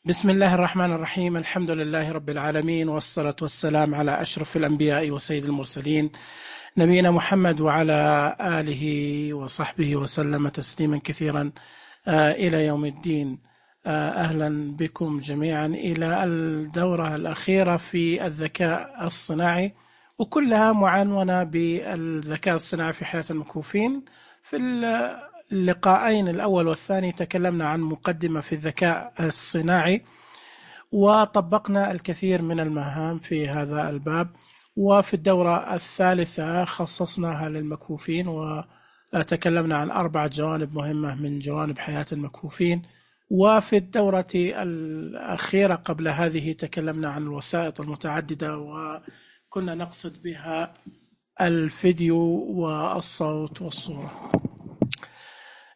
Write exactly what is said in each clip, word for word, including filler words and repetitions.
بسم الله الرحمن الرحيم. الحمد لله رب العالمين، والصلاة والسلام على أشرف الأنبياء وسيد المرسلين نبينا محمد وعلى آله وصحبه وسلم تسليما كثيرا آه إلى يوم الدين. آه أهلا بكم جميعا إلى الدورة الأخيرة في الذكاء الصناعي، وكلها معنونة بالذكاء الصناعي في حياة المكفوفين. في اللقاءين الأول والثاني تكلمنا عن مقدمة في الذكاء الصناعي، وطبقنا الكثير من المهام في هذا الباب. وفي الدورة الثالثة خصصناها للمكفوفين، وتكلمنا عن أربع جوانب مهمة من جوانب حياة المكفوفين. وفي الدورة الأخيرة قبل هذه تكلمنا عن الوسائط المتعددة، وكنا نقصد بها الفيديو والصوت والصورة.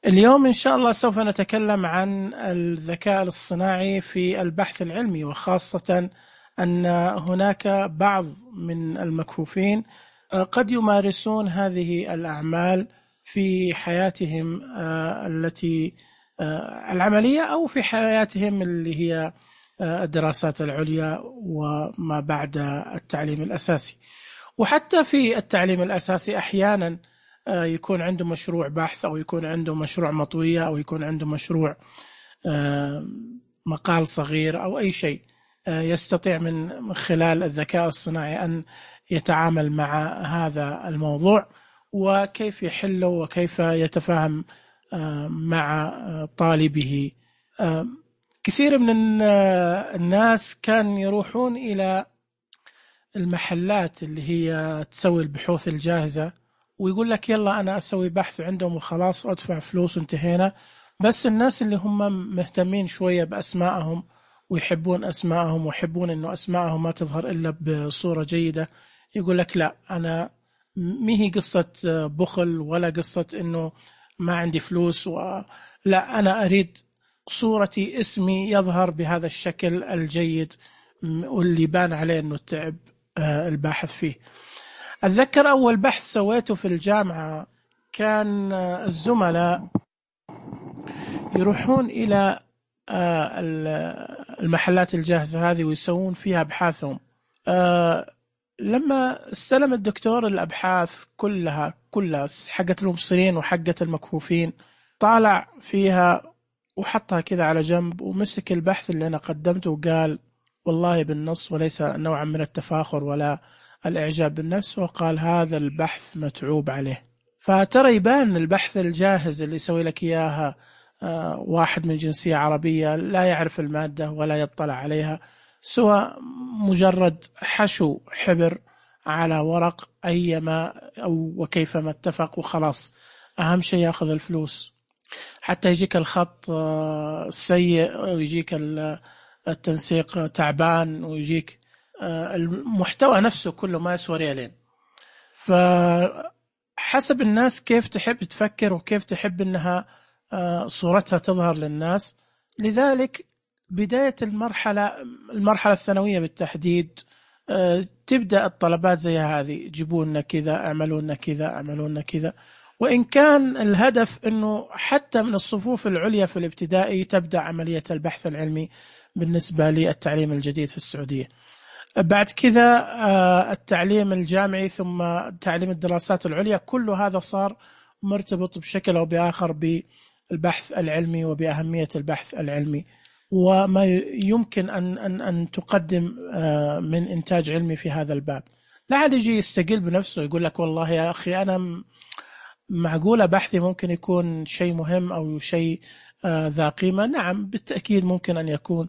اليوم إن شاء الله سوف نتكلم عن الذكاء الصناعي في البحث العلمي، وخاصة أن هناك بعض من المكفوفين قد يمارسون هذه الأعمال في حياتهم التي العملية أو في حياتهم اللي هي الدراسات العليا وما بعد التعليم الأساسي. وحتى في التعليم الأساسي أحيانا يكون عنده مشروع بحث، أو يكون عنده مشروع مطوية، أو يكون عنده مشروع مقال صغير أو أي شيء، يستطيع من خلال الذكاء الصناعي أن يتعامل مع هذا الموضوع، وكيف يحله وكيف يتفاهم مع طالبه. كثير من الناس كان يروحون إلى المحلات اللي هي تسوي البحوث الجاهزة، ويقول لك يلا أنا أسوي بحث عندهم وخلاص وأدفع فلوس وانتهينا. بس الناس اللي هم مهتمين شوية بأسمائهم ويحبون أسمائهم ويحبون أنه أسمائهم ما تظهر إلا بصورة جيدة، يقول لك لا، أنا مهي قصة بخل ولا قصة أنه ما عندي فلوس، ولا أنا أريد صورتي اسمي يظهر بهذا الشكل الجيد واللي بان عليه أنه تعب الباحث فيه. أتذكر أول بحث سويته في الجامعة كان الزملاء يروحون إلى المحلات الجاهزة هذه ويسوون فيها أبحاثهم. لما استلم الدكتور الأبحاث كلها كلها حقة المبصرين وحقة المكفوفين، طالع فيها وحطها كذا على جنب، ومسك البحث اللي أنا قدمته وقال والله بالنص وليس نوعا من التفاخر ولا الإعجاب بالنفس، وقال هذا البحث متعوب عليه. فترى يبان البحث الجاهز اللي يسوي لك إياها واحد من جنسية عربية لا يعرف المادة ولا يطلع عليها، سوى مجرد حشو حبر على ورق أيما أو وكيفما اتفق وخلاص، أهم شيء يأخذ الفلوس. حتى يجيك الخط سيء ويجيك التنسيق تعبان ويجيك المحتوى نفسه كله ما يسوى ريالين. فحسب الناس كيف تحب تفكر وكيف تحب أنها صورتها تظهر للناس. لذلك بداية المرحلة المرحلة الثانوية بالتحديد تبدأ الطلبات زي هذه، جيبونا كذا، اعملونا كذا، اعملونا كذا. وإن كان الهدف أنه حتى من الصفوف العليا في الابتدائي تبدأ عملية البحث العلمي بالنسبة للتعليم الجديد في السعودية. بعد كذا التعليم الجامعي ثم تعليم الدراسات العليا، كل هذا صار مرتبط بشكل أو بآخر بالبحث العلمي وبأهمية البحث العلمي وما يمكن أن, أن, أن تقدم من إنتاج علمي في هذا الباب. لا عاد يجي يستقل بنفسه يقول لك والله يا أخي أنا معقولة بحثي ممكن يكون شيء مهم أو شيء ذا قيمة. نعم بالتأكيد ممكن أن يكون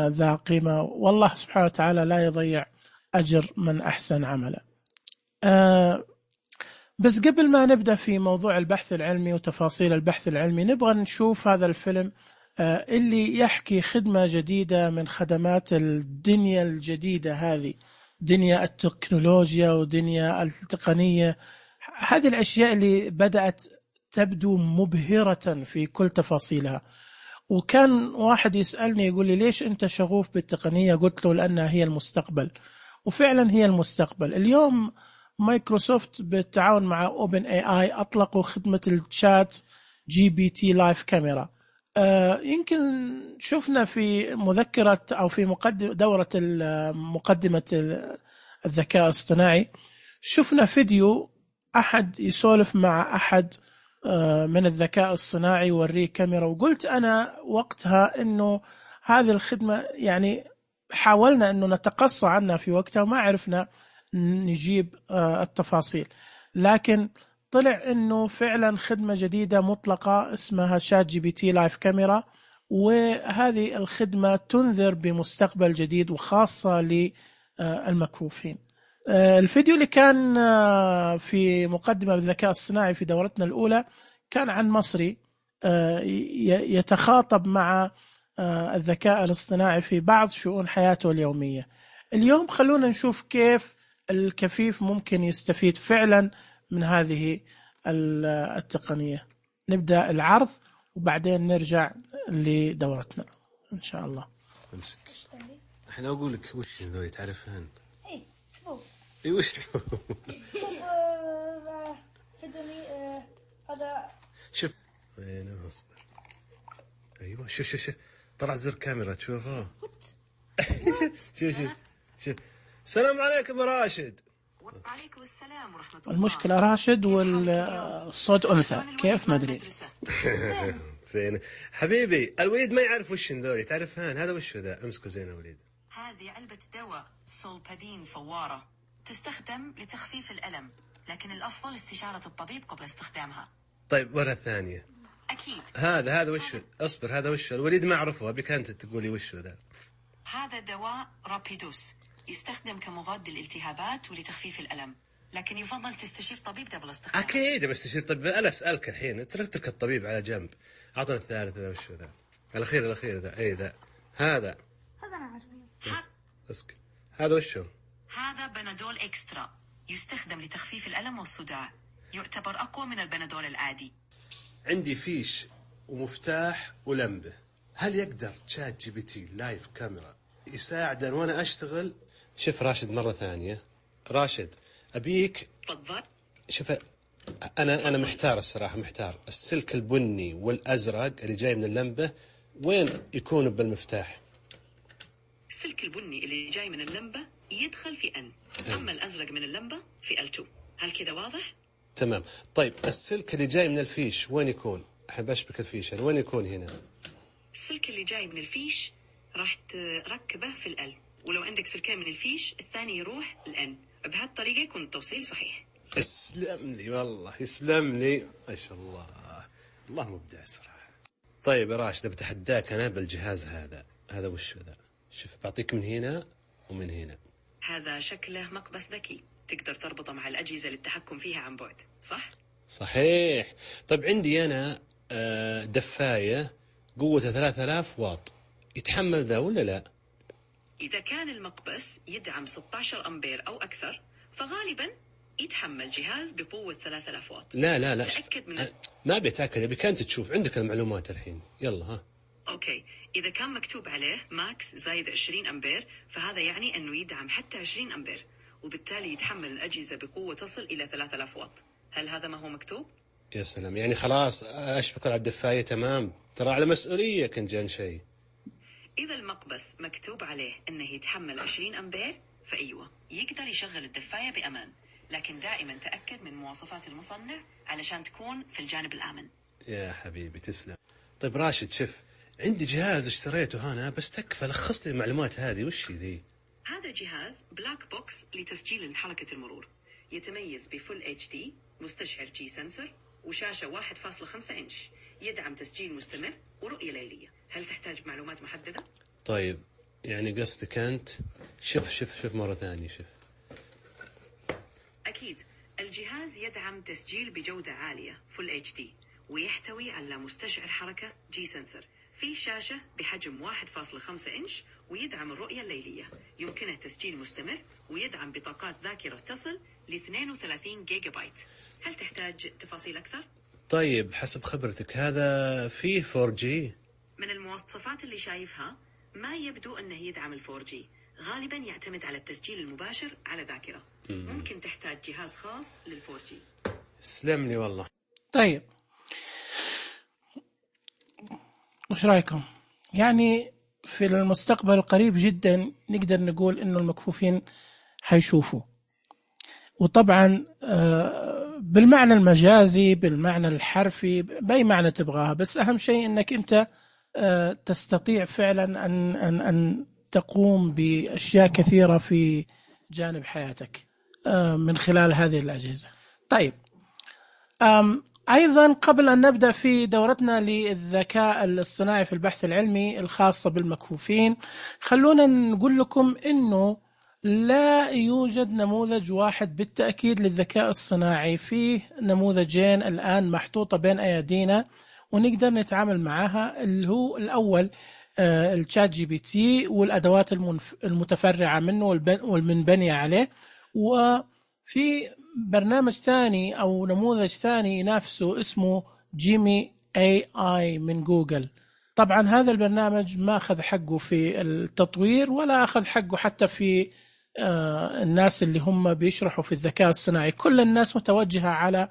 ذا قيمة، والله سبحانه وتعالى لا يضيع أجر من أحسن عملا. بس قبل ما نبدأ في موضوع البحث العلمي وتفاصيل البحث العلمي، نبغى نشوف هذا الفيلم اللي يحكي خدمة جديدة من خدمات الدنيا الجديدة هذه، دنيا التكنولوجيا ودنيا التقنية. هذه الأشياء اللي بدأت تبدو مبهرة في كل تفاصيلها. وكان واحد يسألني يقول لي ليش أنت شغوف بالتقنية؟ قلت له لأنها هي المستقبل، وفعلا هي المستقبل. اليوم مايكروسوفت بالتعاون مع أوبن اي اي أطلقوا خدمة الشات جي بي تي لايف كاميرا. آه يمكن شفنا في مذكرة أو في مقدمة دورة مقدمة الذكاء الاصطناعي، شفنا فيديو أحد يسولف مع أحد آه من الذكاء الصناعي يوريه كاميرا، وقلت أنا وقتها إنه هذه الخدمة يعني حاولنا إنه نتقصى عنها في وقتها وما عرفنا نجيب آه التفاصيل، لكن طلع إنه فعلا خدمة جديدة مطلقة اسمها شات جي بي تي لايف كاميرا، وهذه الخدمة تنذر بمستقبل جديد وخاصة للمكفوفين. الفيديو اللي كان في مقدمة الذكاء الصناعي في دورتنا الأولى كان عن مصري يتخاطب مع الذكاء الاصطناعي في بعض شؤون حياته اليومية. اليوم خلونا نشوف كيف الكفيف ممكن يستفيد فعلا من هذه التقنية. نبدأ العرض وبعدين نرجع لدورتنا إن شاء الله. امسك الحين أقول لك وش ذولي تعرفهن؟ إيه حبوب. إيه وش حبوب؟ فدني هذا. شوف وين أصبر. أيوة شوف شوف شوف طلع زر كاميرا تشوفه. شوف شوف شوف. السلام عليكم يا راشد. وعليكم السلام ورحمة الله. المشكلة راشد والصوت أنثى كيف ما أدري. زين حبيبي الوليد ما يعرف وش ذولي تعرفهن؟ هذا وش ذا؟ امسكه زين يا وليد. هذه علبة دواء سولبادين فوارة تستخدم لتخفيف الألم، لكن الأفضل استشارة الطبيب قبل استخدامها. طيب مرة ثانية. أكيد. هذا هذا وش؟ اصبر هذا وش؟ الوليد ما أعرفه أبيك أنت تقولي وش ذا. هذا دواء رابيدوس يستخدم كمضاد للالتهابات ولتخفيف الألم، لكن يفضل تستشير طبيب قبل استخدامه. أكيد بستشير طبيب. أنا أسألك الحين تركتك الطبيب على جنب. عطنا الثالث ذا وش ذا؟ الأخير الأخير ذا أي ذا هذا. هذا أنا عارفه. اسكت هذا وش هو؟ هذا بنادول إكسترا يستخدم لتخفيف الألم والصداع، يعتبر أقوى من البنادول العادي. عندي فيش ومفتاح ولمبة. هل يقدر شات جي بي تي لايف كاميرا يساعدن وأنا أشتغل؟ شوف راشد مرة ثانية. راشد أبيك. تفضل. شوف أنا أنا محتار الصراحة محتار. السلك البني والأزرق اللي جاي من اللمبة وين يكون بالمفتاح؟ السلك البني اللي جاي من اللمبة يدخل في أن، أما الأزرق من اللمبة في إل تو. هل كذا واضح؟ تمام. طيب السلك اللي جاي من الفيش وين يكون؟ أحب أشبك الفيش يعني وين يكون هنا؟ السلك اللي جاي من الفيش راح تركبه في الأل، ولو عندك سلكين من الفيش الثاني يروح الأن. بهالطريقة يكون التوصيل صحيح. اسلم لي والله يسلم لي ما شاء الله. الله مبدع صراحة. طيب يا راشد بتحداك أنا بالجهاز هذا. هذا وش ذا؟ شوف بعطيك من هنا ومن هنا. هذا شكله مقبس ذكي تقدر تربطه مع الأجهزة للتحكم فيها عن بعد، صح؟ صحيح. طيب عندي أنا دفاية قوتها ثلاثة آلاف واط، يتحمل ذا ولا لا؟ إذا كان المقبس يدعم ستة عشر أمبير أو أكثر فغالبا يتحمل جهاز بقوة ثلاثة آلاف واط. لا لا لا تأكد من أ... ما بيتأكد أبي كانت تشوف عندك المعلومات الحين. يلا ها. أوكي إذا كان مكتوب عليه ماكس زايد عشرين أمبير فهذا يعني أنه يدعم حتى عشرين أمبير، وبالتالي يتحمل الأجهزة بقوة تصل إلى ثلاثة آلاف واط. هل هذا ما هو مكتوب؟ يا سلام يعني خلاص أشبك على الدفاية تمام. ترى على مسؤولية كان جان شيء. إذا المقبس مكتوب عليه أنه يتحمل عشرين أمبير فأيوة يقدر يشغل الدفاية بأمان، لكن دائما تأكد من مواصفات المصنع علشان تكون في الجانب الآمن. يا حبيبي تسلم. طيب راشد شوف عندي جهاز اشتريته هنا بس تكفى لخص لي المعلومات هذه وش ذي؟ هذا جهاز بلاك بوكس لتسجيل حركة المرور، يتميز بفول اتش دي مستشعر جي سنسور وشاشة واحد فاصلة خمسة إنش، يدعم تسجيل مستمر ورؤية ليلية. هل تحتاج معلومات محددة؟ طيب يعني قصدك أنت شوف شوف شوف مرة ثانية شوف. أكيد الجهاز يدعم تسجيل بجودة عالية فول اتش دي ويحتوي على مستشعر حركة جي سنسور، في شاشة بحجم واحد فاصلة خمسة إنش ويدعم الرؤية الليلية، يمكنه تسجيل مستمر ويدعم بطاقات ذاكرة تصل ل اثنين وثلاثين جيجا بايت. هل تحتاج تفاصيل أكثر؟ طيب حسب خبرتك هذا فيه فور جي؟ من المواصفات اللي شايفها ما يبدو أنه يدعم الفور جي، غالبا يعتمد على التسجيل المباشر على ذاكرة. ممكن تحتاج جهاز خاص للفور جي. سلم لي والله. طيب وش رأيكم؟ يعني في المستقبل القريب جدا نقدر نقول إنه المكفوفين حيشوفوا، وطبعا بالمعنى المجازي بالمعنى الحرفي بأي معنى تبغاها، بس أهم شيء إنك أنت تستطيع فعلا أن أن أن تقوم بأشياء كثيرة في جانب حياتك من خلال هذه الأجهزة. طيب، أيضا قبل أن نبدأ في دورتنا للذكاء الاصطناعي في البحث العلمي الخاصة بالمكفوفين، خلونا نقول لكم إنه لا يوجد نموذج واحد بالتأكيد للذكاء الصناعي. فيه نموذجين الآن محطوطة بين أيدينا ونقدر نتعامل معها، اللي هو الأول الشات جي بي تي والأدوات المتفرعة منه والمنبنية عليه، وفي برنامج ثاني أو نموذج ثاني ينافسه اسمه جيمي اي اي من جوجل. طبعا هذا البرنامج ما أخذ حقه في التطوير ولا أخذ حقه حتى في الناس اللي هم بيشرحوا في الذكاء الصناعي. كل الناس متوجهة على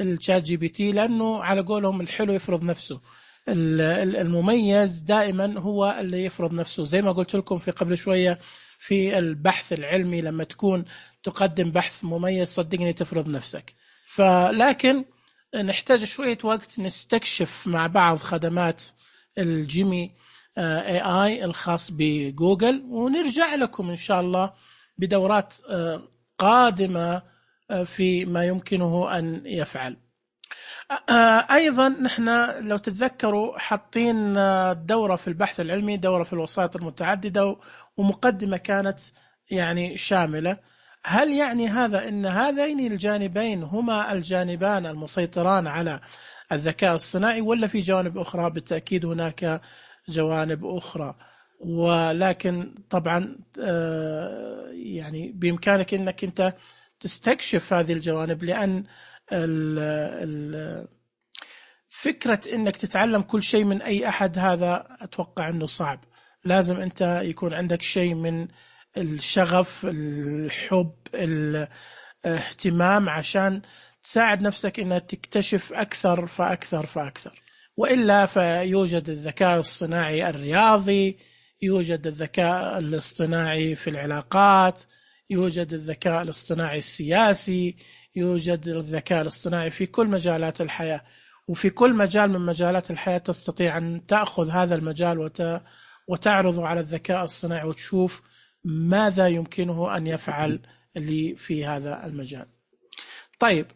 الشات جي بي تي لأنه على قولهم الحلو يفرض نفسه، المميز دائما هو اللي يفرض نفسه. زي ما قلت لكم في قبل شوية في البحث العلمي، لما تكون تقدم بحث مميز صدقني تفرض نفسك. فلكن نحتاج شوية وقت نستكشف مع بعض خدمات الجيمي اي اي الخاص بجوجل، ونرجع لكم إن شاء الله بدورات قادمة في ما يمكنه أن يفعل. أيضا نحن لو تتذكروا حاطين دورة في البحث العلمي، دورة في الوسائط المتعددة، ومقدمة كانت يعني شاملة. هل يعني هذا أن هذين الجانبين هما الجانبان المسيطران على الذكاء الصناعي، ولا في جوانب أخرى؟ بالتأكيد هناك جوانب أخرى، ولكن طبعا يعني بإمكانك أنك أنت تستكشف هذه الجوانب، لأن ال ال فكرة أنك تتعلم كل شيء من أي أحد هذا أتوقع أنه صعب. لازم أنت يكون عندك شيء من الشغف، الحب، الاهتمام، عشان تساعد نفسك أنك تكتشف أكثر فأكثر فأكثر. وإلا فيوجد الذكاء الصناعي الرياضي، يوجد الذكاء الاصطناعي في العلاقات، يوجد الذكاء الاصطناعي السياسي، يوجد الذكاء الاصطناعي في كل مجالات الحياة. وفي كل مجال من مجالات الحياة تستطيع أن تأخذ هذا المجال وت... وتعرضه على الذكاء الصناعي وتشوف ماذا يمكنه أن يفعل اللي في هذا المجال. طيب،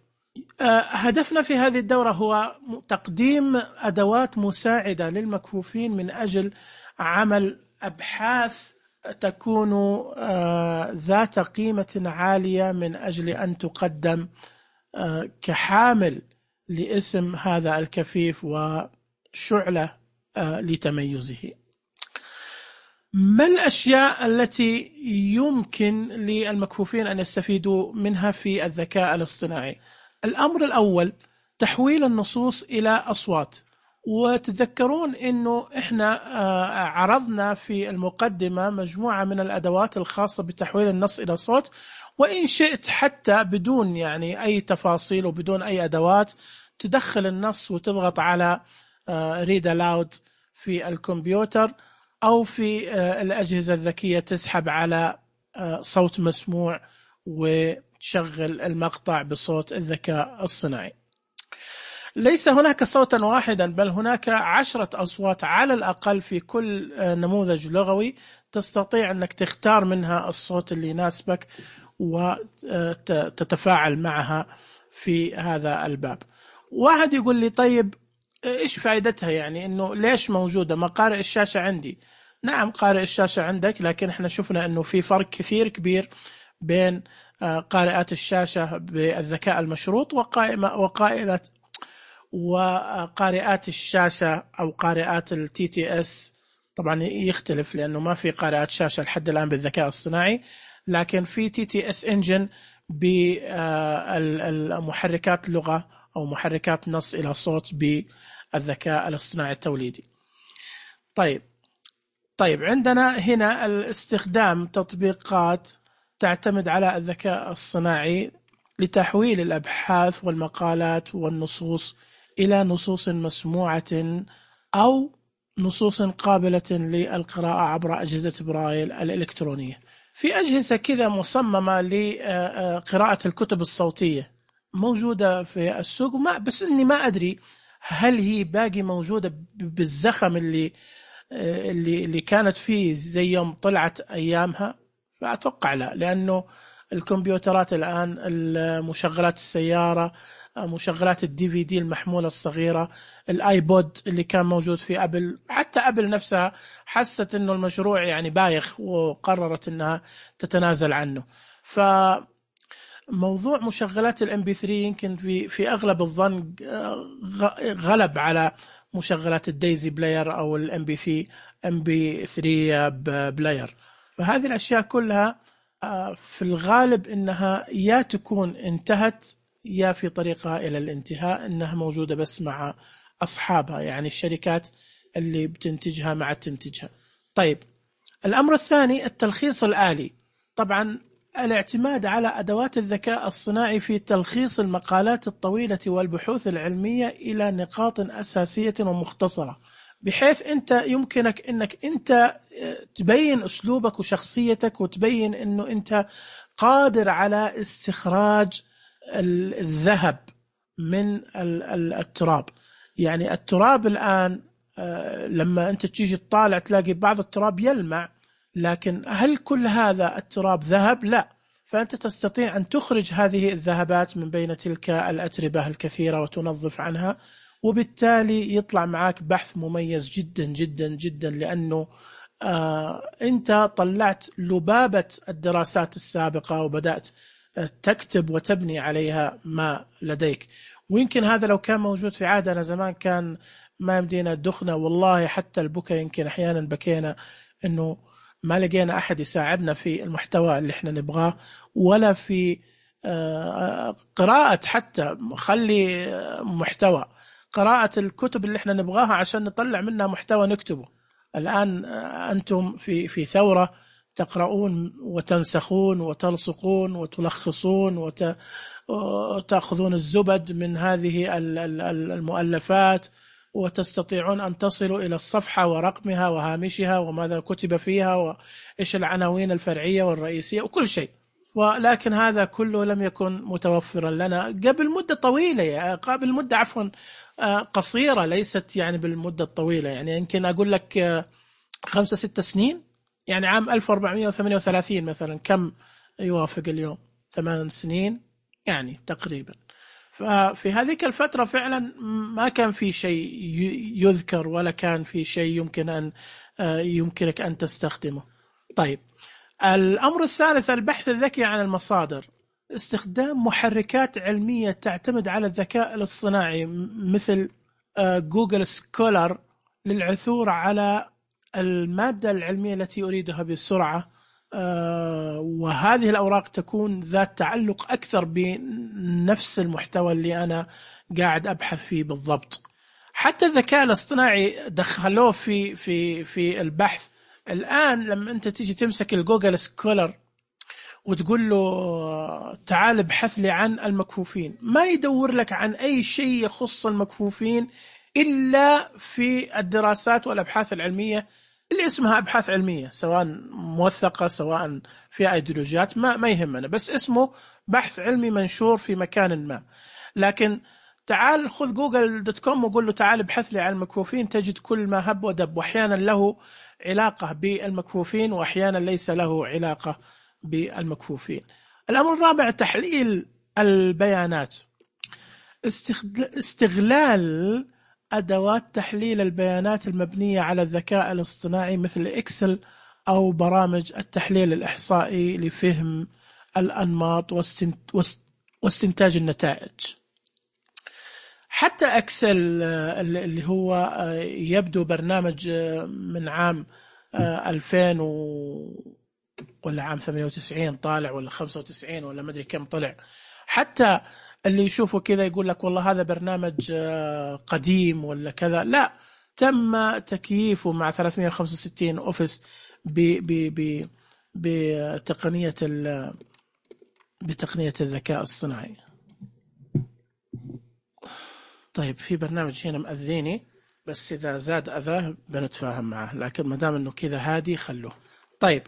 هدفنا في هذه الدورة هو تقديم أدوات مساعدة للمكفوفين من أجل عمل أبحاث تكون ذات قيمة عالية من أجل أن تقدم كحامل لاسم هذا الكفيف وشعلة لتميزه. ما الأشياء التي يمكن للمكفوفين أن يستفيدوا منها في الذكاء الاصطناعي؟ الأمر الأول تحويل النصوص إلى أصوات. وتذكرون أنه إحنا عرضنا في المقدمة مجموعة من الأدوات الخاصة بتحويل النص إلى صوت، وإن شئت حتى بدون يعني أي تفاصيل وبدون أي أدوات تدخل النص وتضغط على read aloud في الكمبيوتر أو في الأجهزة الذكية، تسحب على صوت مسموع وتشغل المقطع بصوت الذكاء الصناعي. ليس هناك صوتا واحدا، بل هناك عشرة أصوات على الأقل في كل نموذج لغوي، تستطيع أنك تختار منها الصوت اللي يناسبك وتتفاعل معها في هذا الباب. واحد يقول لي طيب إيش فائدتها؟ يعني إنه ليش موجودة؟ ما قارئ الشاشة عندي. نعم قارئ الشاشة عندك، لكن إحنا شفنا إنه في فرق كثير كبير بين قارئات الشاشة بالذكاء المشروط وقائلة وقارئات الشاشة أو قارئات التي تي اس. طبعا يختلف لأنه ما في قارئات شاشة لحد الآن بالذكاء الصناعي، لكن في تي تي اس انجن بالمحركات لغة أو محركات نص إلى صوت بالذكاء الاصطناعي التوليدي. طيب طيب عندنا هنا الاستخدام تطبيقات تعتمد على الذكاء الصناعي لتحويل الأبحاث والمقالات والنصوص إلى نصوص مسموعة أو نصوص قابلة للقراءة عبر أجهزة برايل الإلكترونية. في أجهزة كذا مصممة لقراءة الكتب الصوتية موجودة في السوق، ما بس إني ما أدري هل هي باقي موجودة بالزخم اللي اللي اللي كانت فيه زي يوم طلعت أيامها، فأتوقع لا، لأنه الكمبيوترات الآن، المشغلات السيارة، مشغلات الدي في دي المحمولة الصغيرة، الايبود اللي كان موجود في أبل، حتى أبل نفسها حست إنه المشروع يعني بايخ وقررت إنها تتنازل عنه. فموضوع مشغلات الام بي ثري يمكن في في أغلب الظن غلب على مشغلات الدايزي بلاير أو الام بي ثري ام بي ثري بلاير. فهذه الأشياء كلها في الغالب إنها يا تكون انتهت يا في طريقها إلى الانتهاء، إنها موجودة بس مع أصحابها، يعني الشركات اللي بتنتجها مع تنتجها. طيب، الأمر الثاني التلخيص الآلي. طبعا الاعتماد على أدوات الذكاء الصناعي في تلخيص المقالات الطويلة والبحوث العلمية إلى نقاط أساسية ومختصرة، بحيث أنت يمكنك أنك أنت تبين أسلوبك وشخصيتك، وتبين أنه أنت قادر على استخراج الذهب من التراب. يعني التراب الآن لما أنت تيجي تطالع تلاقي بعض التراب يلمع، لكن هل كل هذا التراب ذهب؟ لا. فأنت تستطيع أن تخرج هذه الذهبات من بين تلك الأتربة الكثيرة وتنظف عنها، وبالتالي يطلع معك بحث مميز جدا جدا جدا، لأنه آه أنت طلعت لبابة الدراسات السابقة وبدأت تكتب وتبني عليها ما لديك. ويمكن هذا لو كان موجود في عادنا زمان كان ما يمدينا دخنا، والله حتى البكا يمكن أحيانا بكينا إنه ما لقينا أحد يساعدنا في المحتوى اللي إحنا نبغاه، ولا في قراءة، حتى خلي محتوى قراءة الكتب اللي إحنا نبغاها عشان نطلع منها محتوى نكتبه. الآن أنتم في في ثورة تقرؤون وتنسخون وتلصقون وتلخصون وتأخذون الزبد من هذه المؤلفات، وتستطيعون أن تصلوا إلى الصفحة ورقمها وهامشها وماذا كتب فيها وإيش العناوين الفرعية والرئيسية وكل شيء. ولكن هذا كله لم يكن متوفرا لنا قبل مدة طويلة، قبل مدة عفوا قصيرة، ليست يعني بالمدة الطويلة. يعني يمكن أقول لك خمسة ستة سنين، يعني عام ألف وأربعمائة وثمانية وثلاثين مثلا كم يوافق اليوم؟ ثمان سنين يعني تقريبا. ففي هذيك الفترة فعلا ما كان في شيء يذكر ولا كان في شيء يمكن أن يمكنك أن تستخدمه. طيب، الأمر الثالث البحث الذكي عن المصادر. استخدام محركات علمية تعتمد على الذكاء الاصطناعي مثل جوجل سكولر للعثور على المادة العلمية التي أريدها بسرعة، وهذه الأوراق تكون ذات تعلق أكثر بنفس المحتوى اللي أنا قاعد أبحث فيه بالضبط. حتى الذكاء الاصطناعي دخلوه في في في البحث. الآن لما أنت تيجي تمسك الجوجل سكولر وتقول له تعال ابحث لي عن المكفوفين، ما يدور لك عن أي شيء يخص المكفوفين إلا في الدراسات والأبحاث العلمية اللي اسمها أبحاث علمية، سواء موثقة سواء في أيديولوجيات، ما ما يهمنا، بس اسمه بحث علمي منشور في مكان ما. لكن تعال خذ جوجل دوت كوم وقول له تعال ابحث لي عن المكفوفين، تجد كل ما هب ودب، وأحيانا له علاقة بالمكفوفين وأحيانا ليس له علاقة بالمكفوفين. الأمر الرابع تحليل البيانات. استغلال أدوات تحليل البيانات المبنية على الذكاء الاصطناعي مثل إكسل أو برامج التحليل الإحصائي لفهم الأنماط واستنتاج النتائج. حتى إكسل اللي هو يبدو برنامج من عام ألفين ولا عام ثمانية وتسعين طالع ولا خمسة وتسعين ولا ما أدري كم طلع، حتى اللي يشوفه كذا يقول لك والله هذا برنامج قديم ولا كذا، لا، تم تكييفه مع ثلاثمائة وخمسة وستين أوفيس بتقنية بتقنية الذكاء الصناعي. طيب، في برنامج هنا مأذيني بس إذا زاد أذاه بنتفاهم معه، لكن ما دام إنه كذا هادي خلوه. طيب،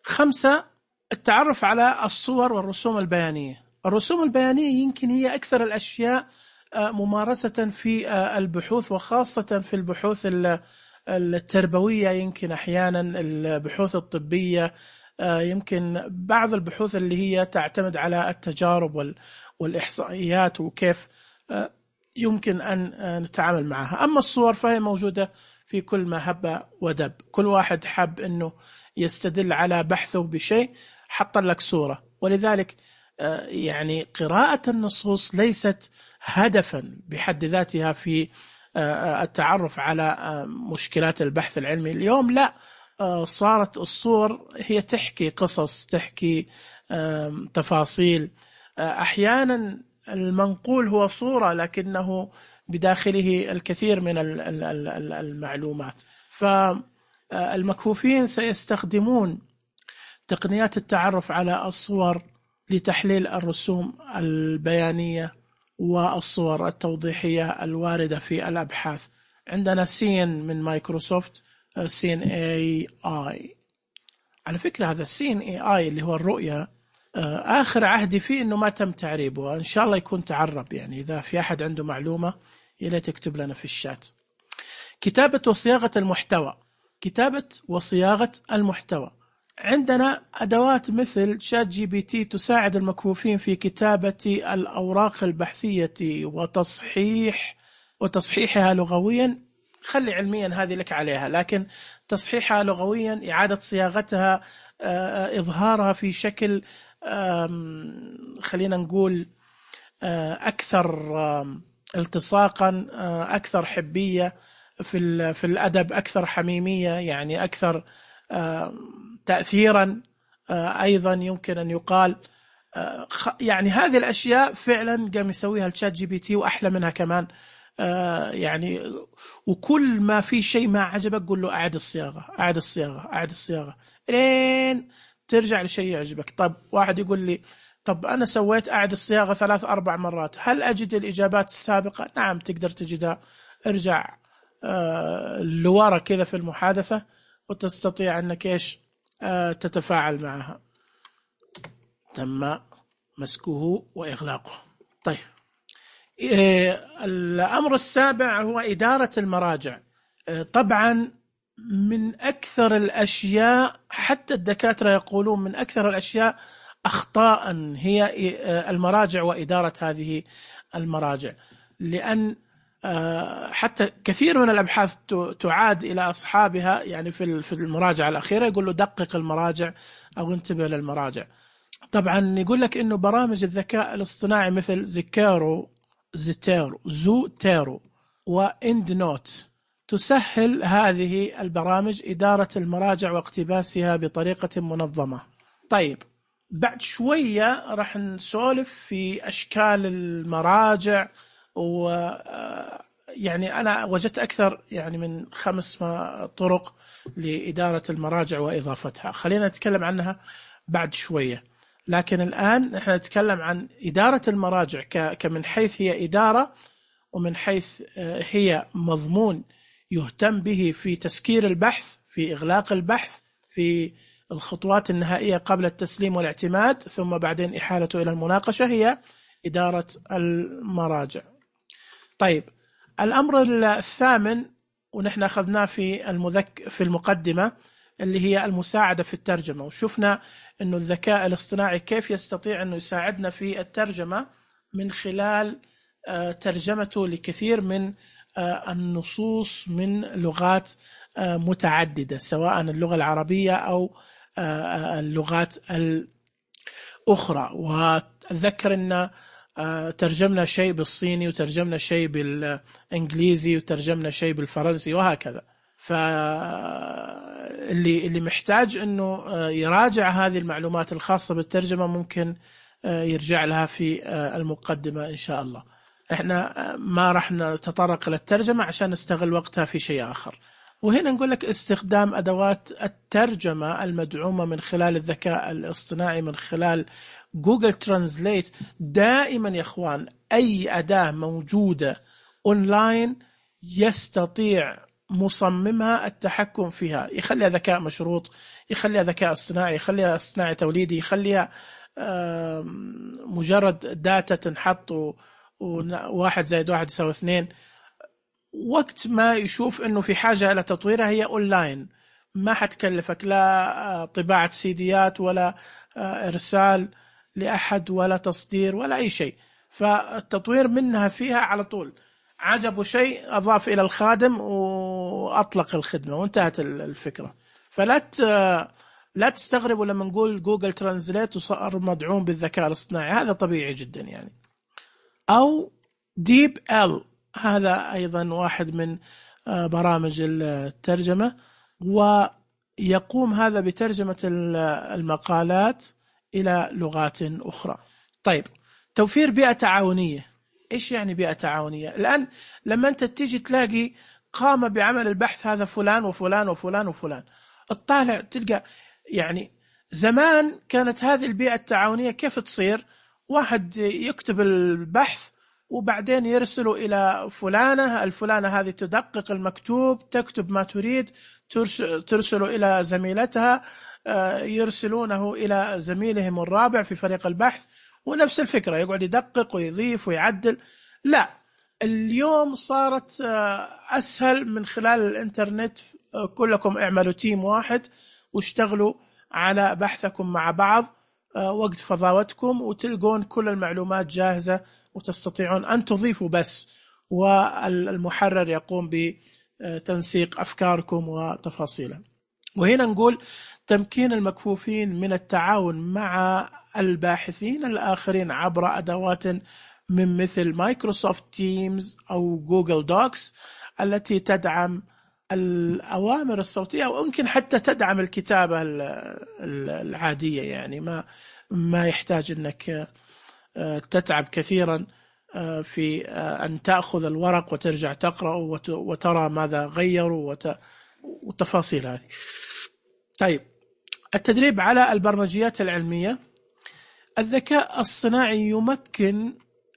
خمسة، التعرف على الصور والرسوم البيانية. الرسوم البيانية يمكن هي أكثر الأشياء ممارسة في البحوث، وخاصة في البحوث التربوية، يمكن أحيانا البحوث الطبية، يمكن بعض البحوث اللي هي تعتمد على التجارب والإحصائيات وكيف يمكن أن نتعامل معها. أما الصور فهي موجودة في كل ما هب ودب، كل واحد حب أنه يستدل على بحثه بشيء حط لك صورة. ولذلك يعني قراءة النصوص ليست هدفا بحد ذاتها في التعرف على مشكلات البحث العلمي اليوم، لا، صارت الصور هي تحكي قصص، تحكي تفاصيل. أحيانا المنقول هو صورة لكنه بداخله الكثير من المعلومات. فالمكفوفين سيستخدمون تقنيات التعرف على الصور لتحليل الرسوم البيانية والصور التوضيحية الواردة في الأبحاث. عندنا سين من مايكروسوفت، سين اي اي. على فكرة هذا السين اي اي اللي هو الرؤية، آخر عهدي فيه إنه ما تم تعريبه، إن شاء الله يكون تعرب. يعني إذا في أحد عنده معلومة يلا تكتب لنا في الشات. كتابة وصياغة المحتوى. كتابة وصياغة المحتوى، عندنا أدوات مثل شات جي بي تي تساعد المكفوفين في كتابة الأوراق البحثية وتصحيح وتصحيحها لغويا. خلي علميا هذه لك عليها، لكن تصحيحها لغويا، إعادة صياغتها، إظهارها في شكل خلينا نقول أكثر التصاقا، أكثر حبية في في الأدب، أكثر حميمية، يعني أكثر تأثيرا. أيضا يمكن أن يقال يعني هذه الأشياء فعلا قام يسويها الشات جي بي تي وأحلى منها كمان. يعني وكل ما في شيء ما عجبك قول له أعد الصياغة، أعد الصياغة، أعد الصياغة، لين ترجع لشيء يعجبك. طب واحد يقول لي طب أنا سويت أعد الصياغة ثلاث أربع مرات، هل أجد الإجابات السابقة؟ نعم تقدر تجدها. ارجع لورا كذا في المحادثة وتستطيع أنك إيش تتفاعل معها. تم مسكه وإغلاقه. طيب، الأمر السابع هو إدارة المراجع. طبعا من أكثر الأشياء، حتى الدكاترة يقولون من أكثر الأشياء أخطاء هي المراجع وإدارة هذه المراجع، لأن حتى كثير من الأبحاث تعاد إلى أصحابها، يعني في المراجعة الأخيرة يقول له دقق المراجع أو انتبه للمراجع. طبعا يقول لك إنه برامج الذكاء الاصطناعي مثل زيكيرو زيتيرو زوتيرو وإند نوت تسهل هذه البرامج إدارة المراجع واقتباسها بطريقة منظمة. طيب، بعد شوية راح نسولف في أشكال المراجع، و يعني أنا وجدت أكثر يعني من خمس طرق لإدارة المراجع وإضافتها، خلينا نتكلم عنها بعد شوية. لكن الآن نحن نتكلم عن إدارة المراجع كمن حيث هي إدارة، ومن حيث هي مضمون يهتم به في تسكير البحث، في إغلاق البحث، في الخطوات النهائية قبل التسليم والاعتماد، ثم بعدين إحالته إلى المناقشة، هي إدارة المراجع. طيب، الأمر الثامن ونحن أخذناه في المذك في المقدمة اللي هي المساعدة في الترجمة، وشفنا أنه الذكاء الاصطناعي كيف يستطيع أنه يساعدنا في الترجمة من خلال ترجمته لكثير من النصوص من لغات متعددة، سواء اللغة العربية أو اللغات الأخرى. وأتذكر أن ترجمنا شيء بالصيني، وترجمنا شيء بالإنجليزي، وترجمنا شيء بالفرنسي، وهكذا. فاللي اللي محتاج أنه يراجع هذه المعلومات الخاصة بالترجمة ممكن يرجع لها في المقدمة إن شاء الله. إحنا ما راح نتطرق للترجمة عشان نستغل وقتها في شيء آخر. وهنا نقول لك استخدام أدوات الترجمة المدعومة من خلال الذكاء الاصطناعي من خلال جوجل ترانزليت. دائما يا إخوان أي أداة موجودة أونلاين يستطيع مصممها التحكم فيها، يخليها ذكاء مشروط، يخليها ذكاء اصطناعي، يخليها اصطناعي توليدي، يخليها مجرد داتا تنحط وواحد زائد واحد يساوي اثنين. وقت ما يشوف انه في حاجة الى تطويرها هي اونلاين، ما حتكلفك لا طباعة سيديات ولا ارسال لاحد ولا تصدير ولا اي شيء، فالتطوير منها فيها على طول. عجبه شيء اضاف الى الخادم واطلق الخدمة وانتهت الفكرة. فلا لا تستغربوا لما نقول جوجل ترانزليت وصار مدعوم بالذكاء الاصطناعي، هذا طبيعي جدا يعني. او ديب ال، هذا ايضا واحد من برامج الترجمة، ويقوم هذا بترجمة المقالات الى لغات اخرى. طيب، توفير بيئة تعاونية. ايش يعني بيئة تعاونية؟ الان لما انت تيجي تلاقي قام بعمل البحث هذا فلان وفلان وفلان وفلان، اطالع تلقى يعني زمان كانت هذه البيئة التعاونية كيف تصير؟ واحد يكتب البحث وبعدين يرسله إلى فلانة، الفلانة هذه تدقق المكتوب، تكتب ما تريد، ترسله إلى زميلتها، يرسلونه إلى زميلهم الرابع في فريق البحث، ونفس الفكرة يقعد يدقق ويضيف ويعدل. لا، اليوم صارت أسهل من خلال الإنترنت، كلكم اعملوا تيم واحد واشتغلوا على بحثكم مع بعض وقت فضاوتكم، وتلقون كل المعلومات جاهزة وتستطيعون أن تضيفوا بس، والمحرر يقوم بتنسيق أفكاركم وتفاصيلها. وهنا نقول تمكين المكفوفين من التعاون مع الباحثين الآخرين عبر أدوات من مثل مايكروسوفت تيمز أو جوجل دوكس التي تدعم الأوامر الصوتية، ويمكن حتى تدعم الكتابة العادية، يعني ما ما يحتاج أنك تتعب كثيرا في أن تأخذ الورق وترجع تقرأ وترى ماذا غيروا وتفاصيل هذه. طيب، التدريب على البرمجيات العلمية. الذكاء الصناعي يمكن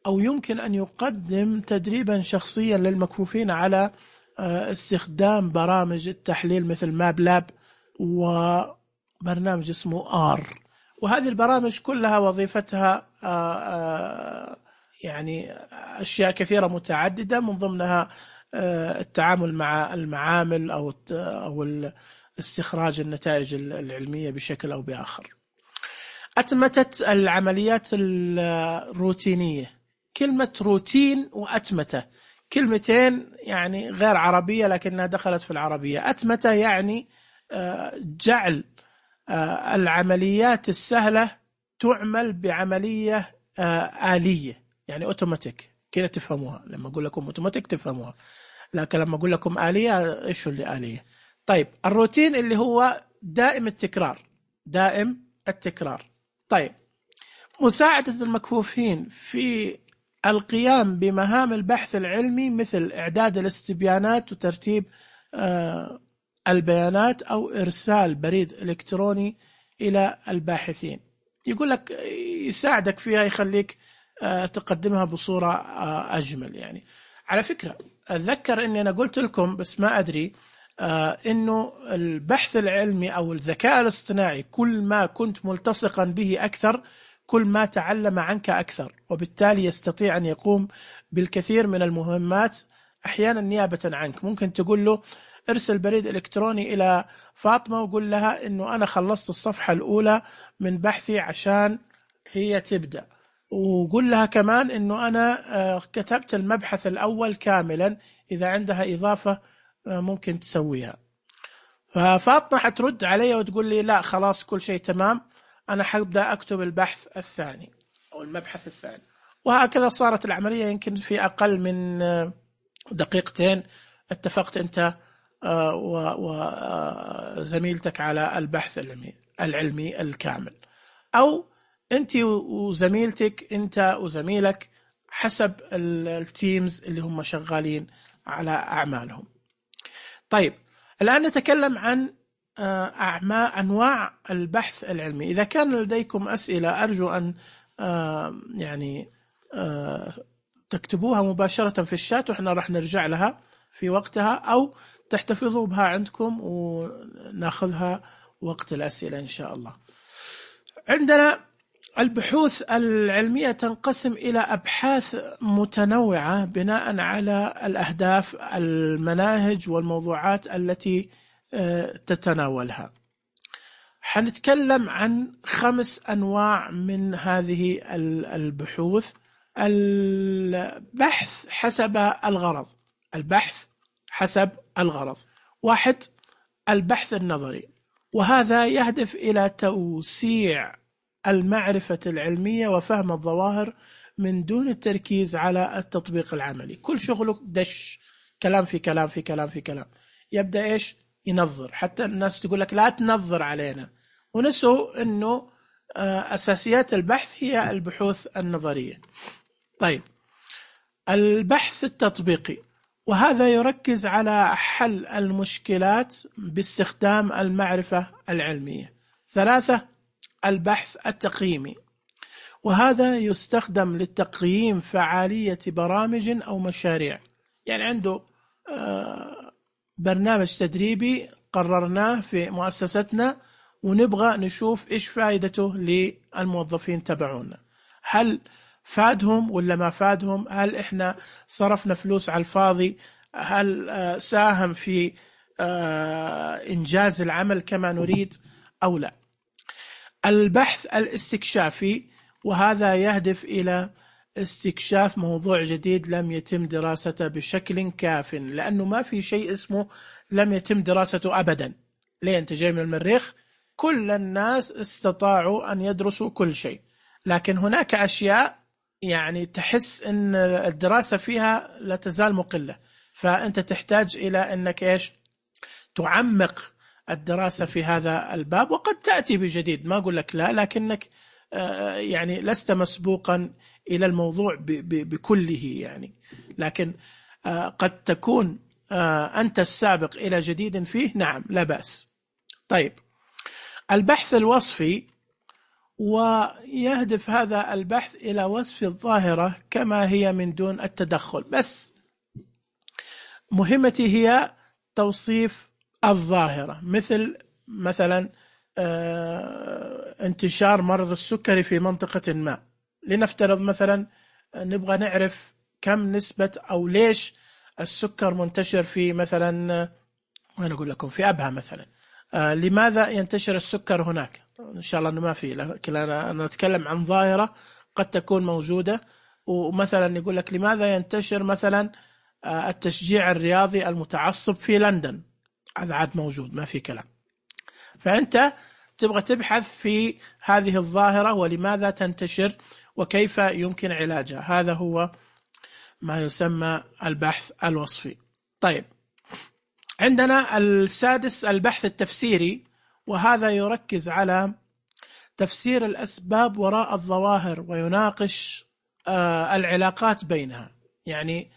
أو يمكن أن يقدم تدريبا شخصيا للمكفوفين على استخدام برامج التحليل مثل ماب لاب وبرنامج اسمه آر. وهذه البرامج كلها وظيفتها يعني أشياء كثيرة متعددة، من ضمنها التعامل مع المعامل أو أو استخراج النتائج العلمية بشكل أو بآخر. أتمتة العمليات الروتينية. كلمة روتين وأتمتة كلمتين يعني غير عربية لكنها دخلت في العربية. أتمتة يعني جعل العمليات السهلة تعمل بعملية آلية، يعني أوتوماتيك كذا تفهموها. لما أقول لكم أوتوماتيك تفهموها، لكن لما أقول لكم آلية إيش اللي آلية؟ طيب، الروتين اللي هو دائم التكرار، دائم التكرار. طيب، مساعدة المكفوفين في القيام بمهام البحث العلمي مثل إعداد الاستبيانات وترتيب البيانات أو إرسال بريد إلكتروني إلى الباحثين. يقول لك يساعدك فيها، يخليك تقدمها بصورة أجمل. يعني على فكرة أتذكر أني أنا قلت لكم بس ما أدري أنه البحث العلمي أو الذكاء الاصطناعي كل ما كنت ملتصقا به أكثر كل ما تعلم عنك أكثر، وبالتالي يستطيع أن يقوم بالكثير من المهمات أحيانا نيابة عنك. ممكن تقول له ارسل بريد إلكتروني إلى فاطمة وقول لها أنه أنا خلصت الصفحة الأولى من بحثي عشان هي تبدأ، وقول لها كمان أنه أنا كتبت المبحث الأول كاملا، إذا عندها إضافة ممكن تسويها. ففاطمة حترد علي وتقول لي لا خلاص كل شيء تمام، أنا حبدأ أكتب البحث الثاني أو المبحث الثاني. وهكذا صارت العملية يمكن في أقل من دقيقتين اتفقت أنت وزميلتك على البحث العلمي العلمي الكامل، أو أنت وزميلتك، أنت وزميلك، حسب التيمز اللي هم شغالين على أعمالهم. طيب، الآن نتكلم عن أعمال أنواع البحث العلمي. إذا كان لديكم أسئلة أرجو أن يعني تكتبوها مباشرة في الشات وإحنا راح نرجع لها في وقتها، أو تحتفظوا بها عندكم وناخذها وقت الأسئلة إن شاء الله. عندنا البحوث العلمية تنقسم إلى أبحاث متنوعة بناء على الأهداف، المناهج والموضوعات التي تتناولها. حنتكلم عن خمس أنواع من هذه البحوث. البحث حسب الغرض، البحث حسب الغرض. واحد، البحث النظري، وهذا يهدف إلى توسيع المعرفة العلمية وفهم الظواهر من دون التركيز على التطبيق العملي. كل شغله دش كلام في كلام في كلام في كلام، يبدأ إيش؟ ينظر. حتى الناس تقول لك لا تنظر علينا، ونسوا أنه أساسيات البحث هي البحوث النظرية. طيب، البحث التطبيقي، وهذا يركز على حل المشكلات باستخدام المعرفة العلمية. ثلاثة، البحث التقييمي، وهذا يستخدم لتقييم فعالية برامج أو مشاريع. يعني عنده برنامج تدريبي قررناه في مؤسستنا ونبغى نشوف إيش فائدته للموظفين تبعونا، هل فادهم ولا ما فادهم، هل إحنا صرفنا فلوس على الفاضي، هل ساهم في إنجاز العمل كما نريد أو لا. البحث الاستكشافي، وهذا يهدف إلى استكشاف موضوع جديد لم يتم دراسته بشكل كاف، لأنه ما في شيء اسمه لم يتم دراسته أبدا. ليه؟ أنت جاي من المريخ، كل الناس استطاعوا أن يدرسوا كل شيء، لكن هناك أشياء يعني تحس أن الدراسة فيها لا تزال مقلة، فأنت تحتاج إلى أنك إيش؟ تعمق الدراسة في هذا الباب، وقد تأتي بجديد، ما أقول لك لا، لكنك يعني لست مسبوقا إلى الموضوع بكله يعني، لكن قد تكون أنت السابق إلى جديد فيه، نعم لا بأس. طيب، البحث الوصفي، ويهدف هذا البحث إلى وصف الظاهرة كما هي من دون التدخل، بس مهمتي هي توصيف الظاهرة، مثل مثلا انتشار مرض السكري في منطقة ما. لنفترض مثلا نبغى نعرف كم نسبة أو ليش السكر منتشر في مثلا، وأنا أقول لكم في أبها مثلا، لماذا ينتشر السكر هناك؟ إن شاء الله أنه ما في، لكن أنا أتكلم عن ظاهرة قد تكون موجودة. ومثلا يقول لك لماذا ينتشر مثلا التشجيع الرياضي المتعصب في لندن، هذا عاد موجود ما في كلام. فأنت تبغى تبحث في هذه الظاهرة ولماذا تنتشر وكيف يمكن علاجها، هذا هو ما يسمى البحث الوصفي. طيب، عندنا السادس البحث التفسيري، وهذا يركز على تفسير الأسباب وراء الظواهر ويناقش آه العلاقات بينها. يعني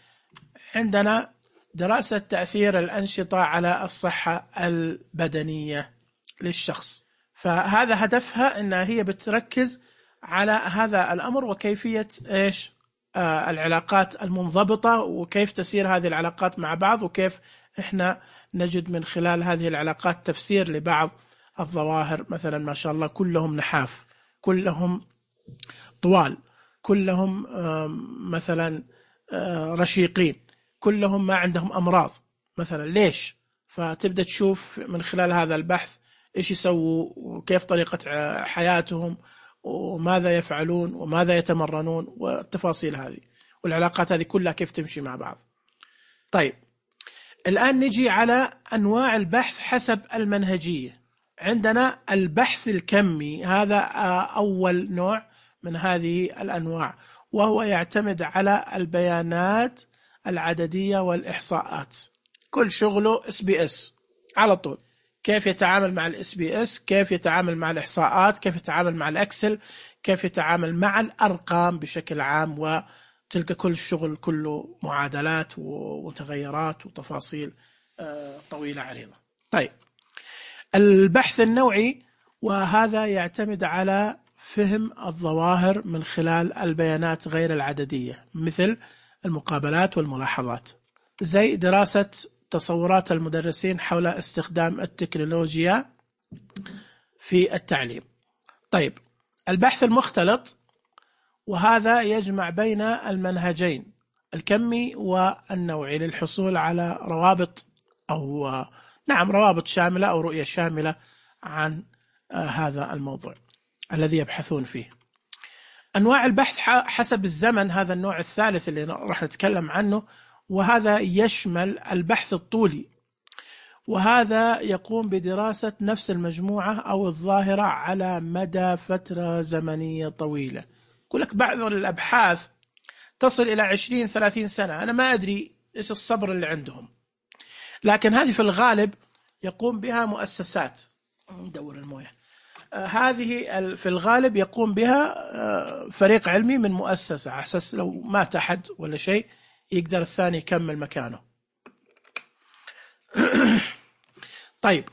عندنا دراسة تأثير الأنشطة على الصحة البدنية للشخص، فهذا هدفها أنها هي بتركز على هذا الأمر وكيفية إيش آه العلاقات المنضبطة، وكيف تسير هذه العلاقات مع بعض، وكيف إحنا نجد من خلال هذه العلاقات تفسير لبعض الظواهر. مثلا ما شاء الله كلهم نحاف، كلهم طوال، كلهم مثلا رشيقين، كلهم ما عندهم أمراض مثلا، ليش؟ فتبدأ تشوف من خلال هذا البحث إيش يسووا وكيف طريقة حياتهم وماذا يفعلون وماذا يتمرنون، والتفاصيل هذه والعلاقات هذه كلها كيف تمشي مع بعض. طيب، الآن نجي على أنواع البحث حسب المنهجية. عندنا البحث الكمي، هذا أول نوع من هذه الأنواع، وهو يعتمد على البيانات العددية والإحصاءات. كل شغله اس بي اس على طول، كيف يتعامل مع الاس بي اس، كيف يتعامل مع الإحصاءات، كيف يتعامل مع الأكسل، كيف يتعامل مع الأرقام بشكل عام، وتلقى كل الشغل كله معادلات ومتغيرات وتفاصيل طويلة عريضة. طيب، البحث النوعي، وهذا يعتمد على فهم الظواهر من خلال البيانات غير العددية، مثل المقابلات والملاحظات. زي دراسة تصورات المدرسين حول استخدام التكنولوجيا في التعليم. طيب، البحث المختلط، وهذا يجمع بين المنهجين الكمي والنوعي للحصول على روابط أو نعم روابط شاملة أو رؤية شاملة عن هذا الموضوع الذي يبحثون فيه. أنواع البحث حسب الزمن، هذا النوع الثالث اللي راح نتكلم عنه، وهذا يشمل البحث الطولي، وهذا يقوم بدراسة نفس المجموعة أو الظاهرة على مدى فترة زمنية طويلة. يقول لك بعض الأبحاث تصل إلى عشرين ثلاثين سنة، أنا ما أدري إيش الصبر اللي عندهم، لكن هذه في الغالب يقوم بها مؤسسات. ندور المويه. آه هذه في الغالب يقوم بها آه فريق علمي من مؤسسة، على أساس لو مات أحد ولا شيء يقدر الثاني يكمل مكانه. طيب،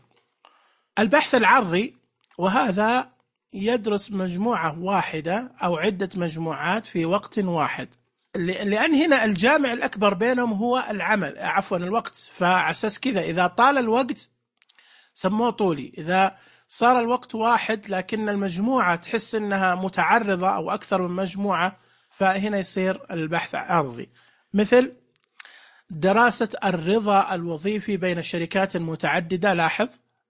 البحث العرضي، وهذا يدرس مجموعة واحدة أو عدة مجموعات في وقت واحد، لأن هنا الجامع الأكبر بينهم هو العمل عفوا الوقت، فعساس كذا إذا طال الوقت سموه طولي، إذا صار الوقت واحد لكن المجموعة تحس أنها متعرضة أو أكثر من مجموعة، فهنا يصير البحث عرضي. مثل دراسة الرضا الوظيفي بين شركات متعددة. لاحظ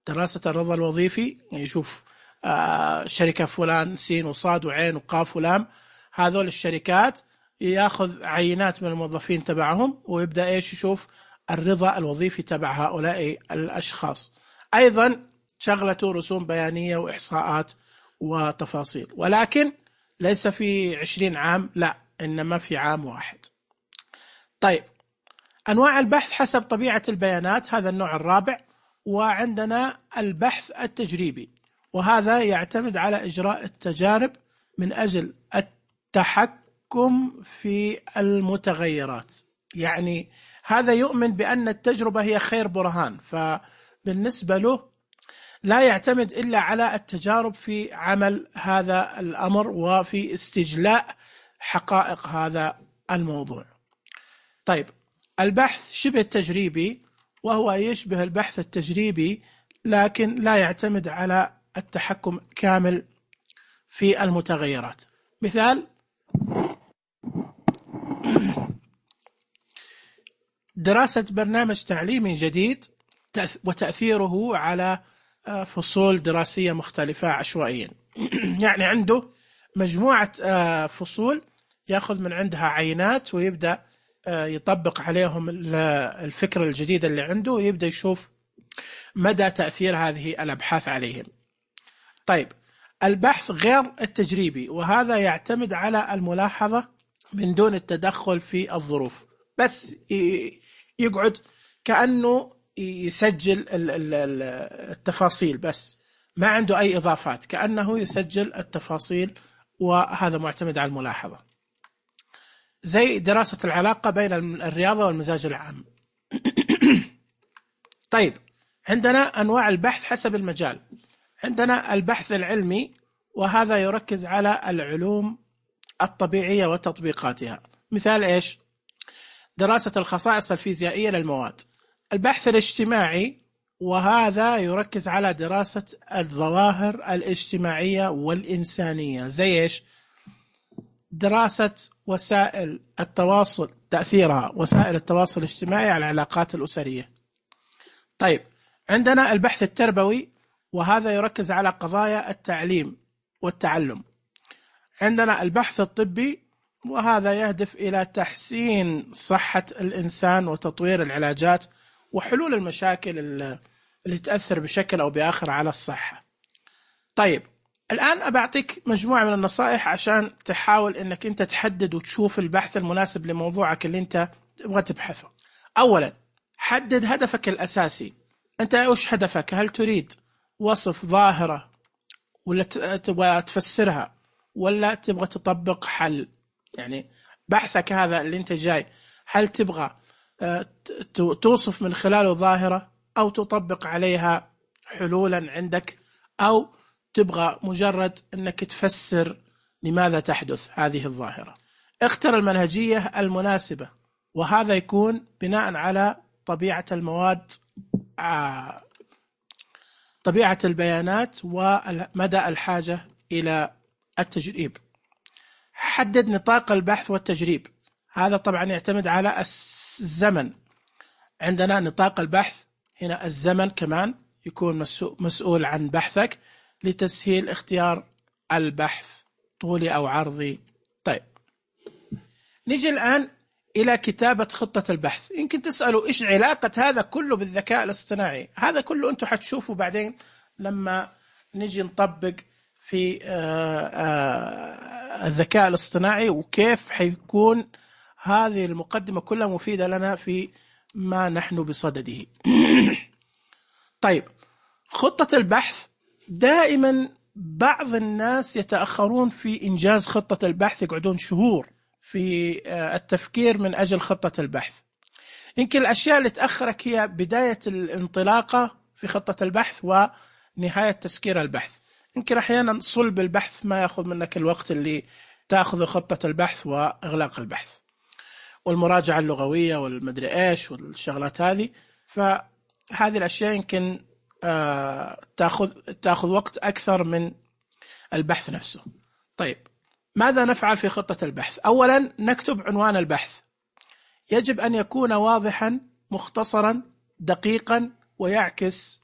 دراسة الرضا الوظيفي، يشوف آه شركة فلان سين وصاد وعين وقاف ولام، هذول الشركات ياخذ عينات من الموظفين تبعهم ويبدأ إيش يشوف الرضا الوظيفي تبع هؤلاء الأشخاص. أيضا شغلته رسوم بيانية وإحصاءات وتفاصيل، ولكن ليس في عشرين عام، لا إنما في عام واحد. طيب، أنواع البحث حسب طبيعة البيانات، هذا النوع الرابع. وعندنا البحث التجريبي، وهذا يعتمد على إجراء التجارب من أجل التحكم في المتغيرات. يعني هذا يؤمن بأن التجربة هي خير برهان، فبالنسبة له لا يعتمد إلا على التجارب في عمل هذا الأمر وفي استجلاء حقائق هذا الموضوع. طيب، البحث شبه التجريبي، وهو يشبه البحث التجريبي لكن لا يعتمد على التحكم كامل في المتغيرات. مثال دراسة برنامج تعليمي جديد وتأثيره على فصول دراسية مختلفة عشوائيا. يعني عنده مجموعة فصول يأخذ من عندها عينات ويبدأ يطبق عليهم الفكرة الجديدة اللي عنده، ويبدأ يشوف مدى تأثير هذه الأبحاث عليهم. طيب، البحث غير التجريبي، وهذا يعتمد على الملاحظة من دون التدخل في الظروف، بس يقعد كأنه يسجل التفاصيل بس، ما عنده أي إضافات، كأنه يسجل التفاصيل، وهذا معتمد على الملاحظة. زي دراسة العلاقة بين الرياضة والمزاج العام. طيب، عندنا أنواع البحث حسب المجال. عندنا البحث العلمي، وهذا يركز على العلوم الطبيعية وتطبيقاتها. مثال إيش؟ دراسة الخصائص الفيزيائية للمواد. البحث الاجتماعي، وهذا يركز على دراسة الظواهر الاجتماعية والإنسانية. زي إيش؟ دراسة وسائل التواصل، تأثيرها وسائل التواصل الاجتماعي على العلاقات الأسرية. طيب، عندنا البحث التربوي، وهذا يركز على قضايا التعليم والتعلم. عندنا البحث الطبي، وهذا يهدف إلى تحسين صحة الإنسان وتطوير العلاجات وحلول المشاكل اللي تأثر بشكل أو بآخر على الصحة. طيب، الآن أبعطيك مجموعة من النصائح عشان تحاول أنك أنت تحدد وتشوف البحث المناسب لموضوعك اللي أنت تبغى تبحثه. أولا، حدد هدفك الأساسي. أنت إيش هدفك؟ هل تريد وصف ظاهرة ولا تبغى تفسرها ولا تبغى تطبق حل؟ يعني بحثك هذا اللي أنت جاي، هل تبغى توصف من خلاله ظاهرة أو تطبق عليها حلولا عندك، أو تبغى مجرد أنك تفسر لماذا تحدث هذه الظاهرة؟ اختر المنهجية المناسبة وهذا يكون بناء على طبيعة المواد، طبيعة البيانات ومدى الحاجة إلى التجريب. حدد نطاق البحث والتجريب، هذا طبعا يعتمد على الزمن. عندنا نطاق البحث هنا، الزمن كمان يكون مسؤول عن بحثك لتسهيل اختيار البحث طولي أو عرضي. طيب نيجي الآن إلى كتابة خطة البحث. يمكن تسألوا إيش علاقة هذا كله بالذكاء الاصطناعي؟ هذا كله أنتم حتشوفوا بعدين لما نيجي نطبق في الذكاء الاصطناعي، وكيف حيكون هذه المقدمة كلها مفيدة لنا في ما نحن بصدده. طيب خطة البحث، دائما بعض الناس يتأخرون في إنجاز خطة البحث، يقعدون شهور في التفكير من أجل خطة البحث. يمكن الأشياء اللي تأخرك هي بداية الانطلاقة في خطة البحث ونهاية تسكير البحث. يمكن أحيانا صلب البحث ما يأخذ منك الوقت اللي تأخذ خطة البحث وإغلاق البحث والمراجعة اللغوية والمدري إيش والشغلات هذه. فهذه الأشياء يمكن آه تأخذ تأخذ وقت أكثر من البحث نفسه. طيب ماذا نفعل في خطة البحث؟ أولا نكتب عنوان البحث، يجب أن يكون واضحا مختصرا دقيقا ويعكس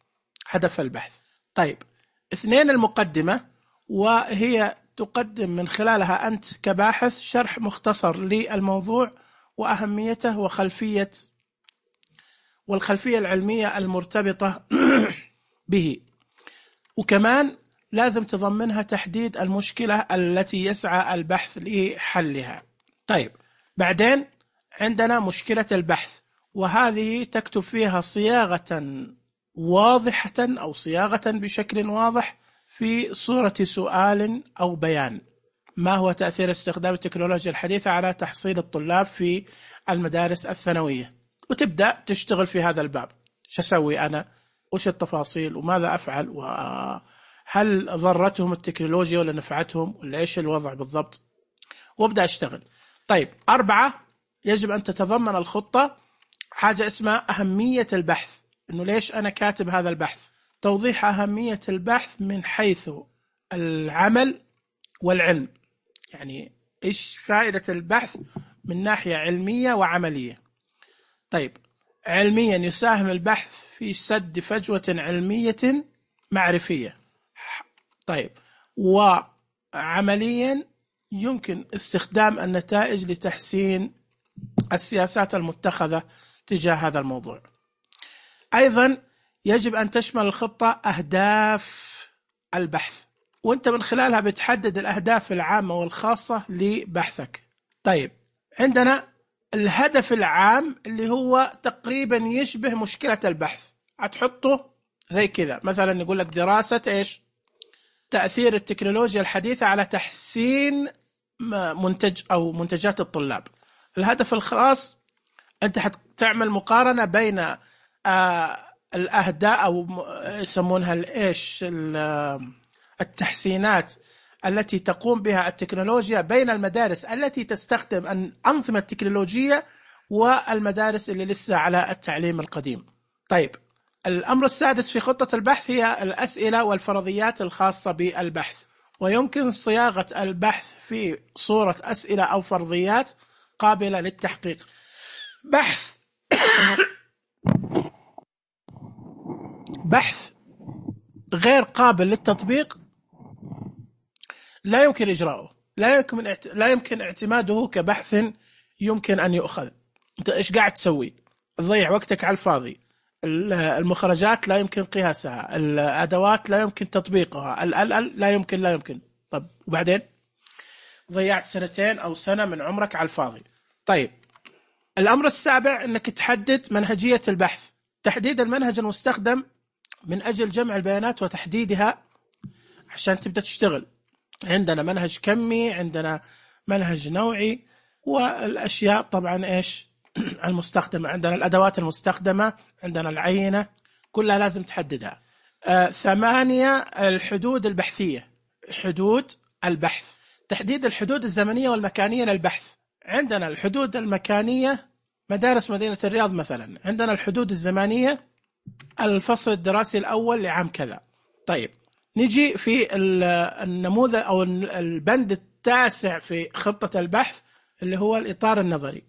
هدف البحث. طيب اثنين، المقدمة، وهي تقدم من خلالها أنت كباحث شرح مختصر للموضوع وأهميته وخلفية والخلفية العلمية المرتبطة به، وكمان لازم تضمنها تحديد المشكلة التي يسعى البحث لحلها. طيب بعدين عندنا مشكلة البحث، وهذه تكتب فيها صياغة واضحة أو صياغة بشكل واضح في صورة سؤال أو بيان. ما هو تأثير استخدام التكنولوجيا الحديثة على تحصيل الطلاب في المدارس الثانوية؟ وتبدأ تشتغل في هذا الباب. شو أسوي أنا؟ وش التفاصيل وماذا أفعل؟ وهل ضرتهم التكنولوجيا ولا نفعتهم ولا إيش الوضع بالضبط؟ وابدأ أشتغل. طيب أربعة، يجب أن تتضمن الخطة حاجة اسمها أهمية البحث. إنه ليش أنا كاتب هذا البحث؟ توضيح أهمية البحث من حيث العمل والعلم، يعني إيش فائدة البحث من ناحية علمية وعملية. طيب علميا، يساهم البحث في سد فجوة علمية معرفية. طيب وعمليا، يمكن استخدام النتائج لتحسين السياسات المتخذة تجاه هذا الموضوع. أيضا يجب أن تشمل الخطة أهداف البحث، وأنت من خلالها بتحدد الأهداف العامة والخاصة لبحثك. طيب عندنا الهدف العام اللي هو تقريبا يشبه مشكلة البحث، هتحطه زي كذا، مثلا نقول لك دراسة إيش؟ تأثير التكنولوجيا الحديثة على تحسين منتج أو منتجات الطلاب. الهدف الخاص أنت حتعمل مقارنة بين آه الأهداف أو يسمونها الإيش التحسينات التي تقوم بها التكنولوجيا بين المدارس التي تستخدم الأنظمة التكنولوجية والمدارس اللي لسه على التعليم القديم. طيب الأمر السادس في خطة البحث هي الأسئلة والفرضيات الخاصة بالبحث، ويمكن صياغة البحث في صورة أسئلة أو فرضيات قابلة للتحقيق. بحث بحث غير قابل للتطبيق لا يمكن إجراؤه، لا يمكن لا يمكن اعتماده كبحث يمكن أن يؤخذ. أنت إيش قاعد تسوي؟ تضيع وقتك على الفاضي. المخرجات لا يمكن قياسها، الأدوات لا يمكن تطبيقها، ال ال لا يمكن لا يمكن. طب وبعدين ضيعت سنتين أو سنة من عمرك على الفاضي. طيب الأمر السابع أنك تحدد منهجية البحث، تحديد المنهج المستخدم من أجل جمع البيانات وتحديدها عشان تبدأ تشتغل. عندنا منهج كمي، عندنا منهج نوعي، والأشياء طبعا إيش المستخدمة، عندنا الأدوات المستخدمة، عندنا العينة، كلها لازم تحددها. آه ثمانية، الحدود البحثية، حدود البحث، تحديد الحدود الزمنية والمكانية للبحث. عندنا الحدود المكانية مدارس مدينة الرياض مثلا عندنا الحدود الزمانية، الفصل الدراسي الأول لعام كذا. طيب نجي في النموذج أو البند التاسع في خطة البحث اللي هو الإطار النظري،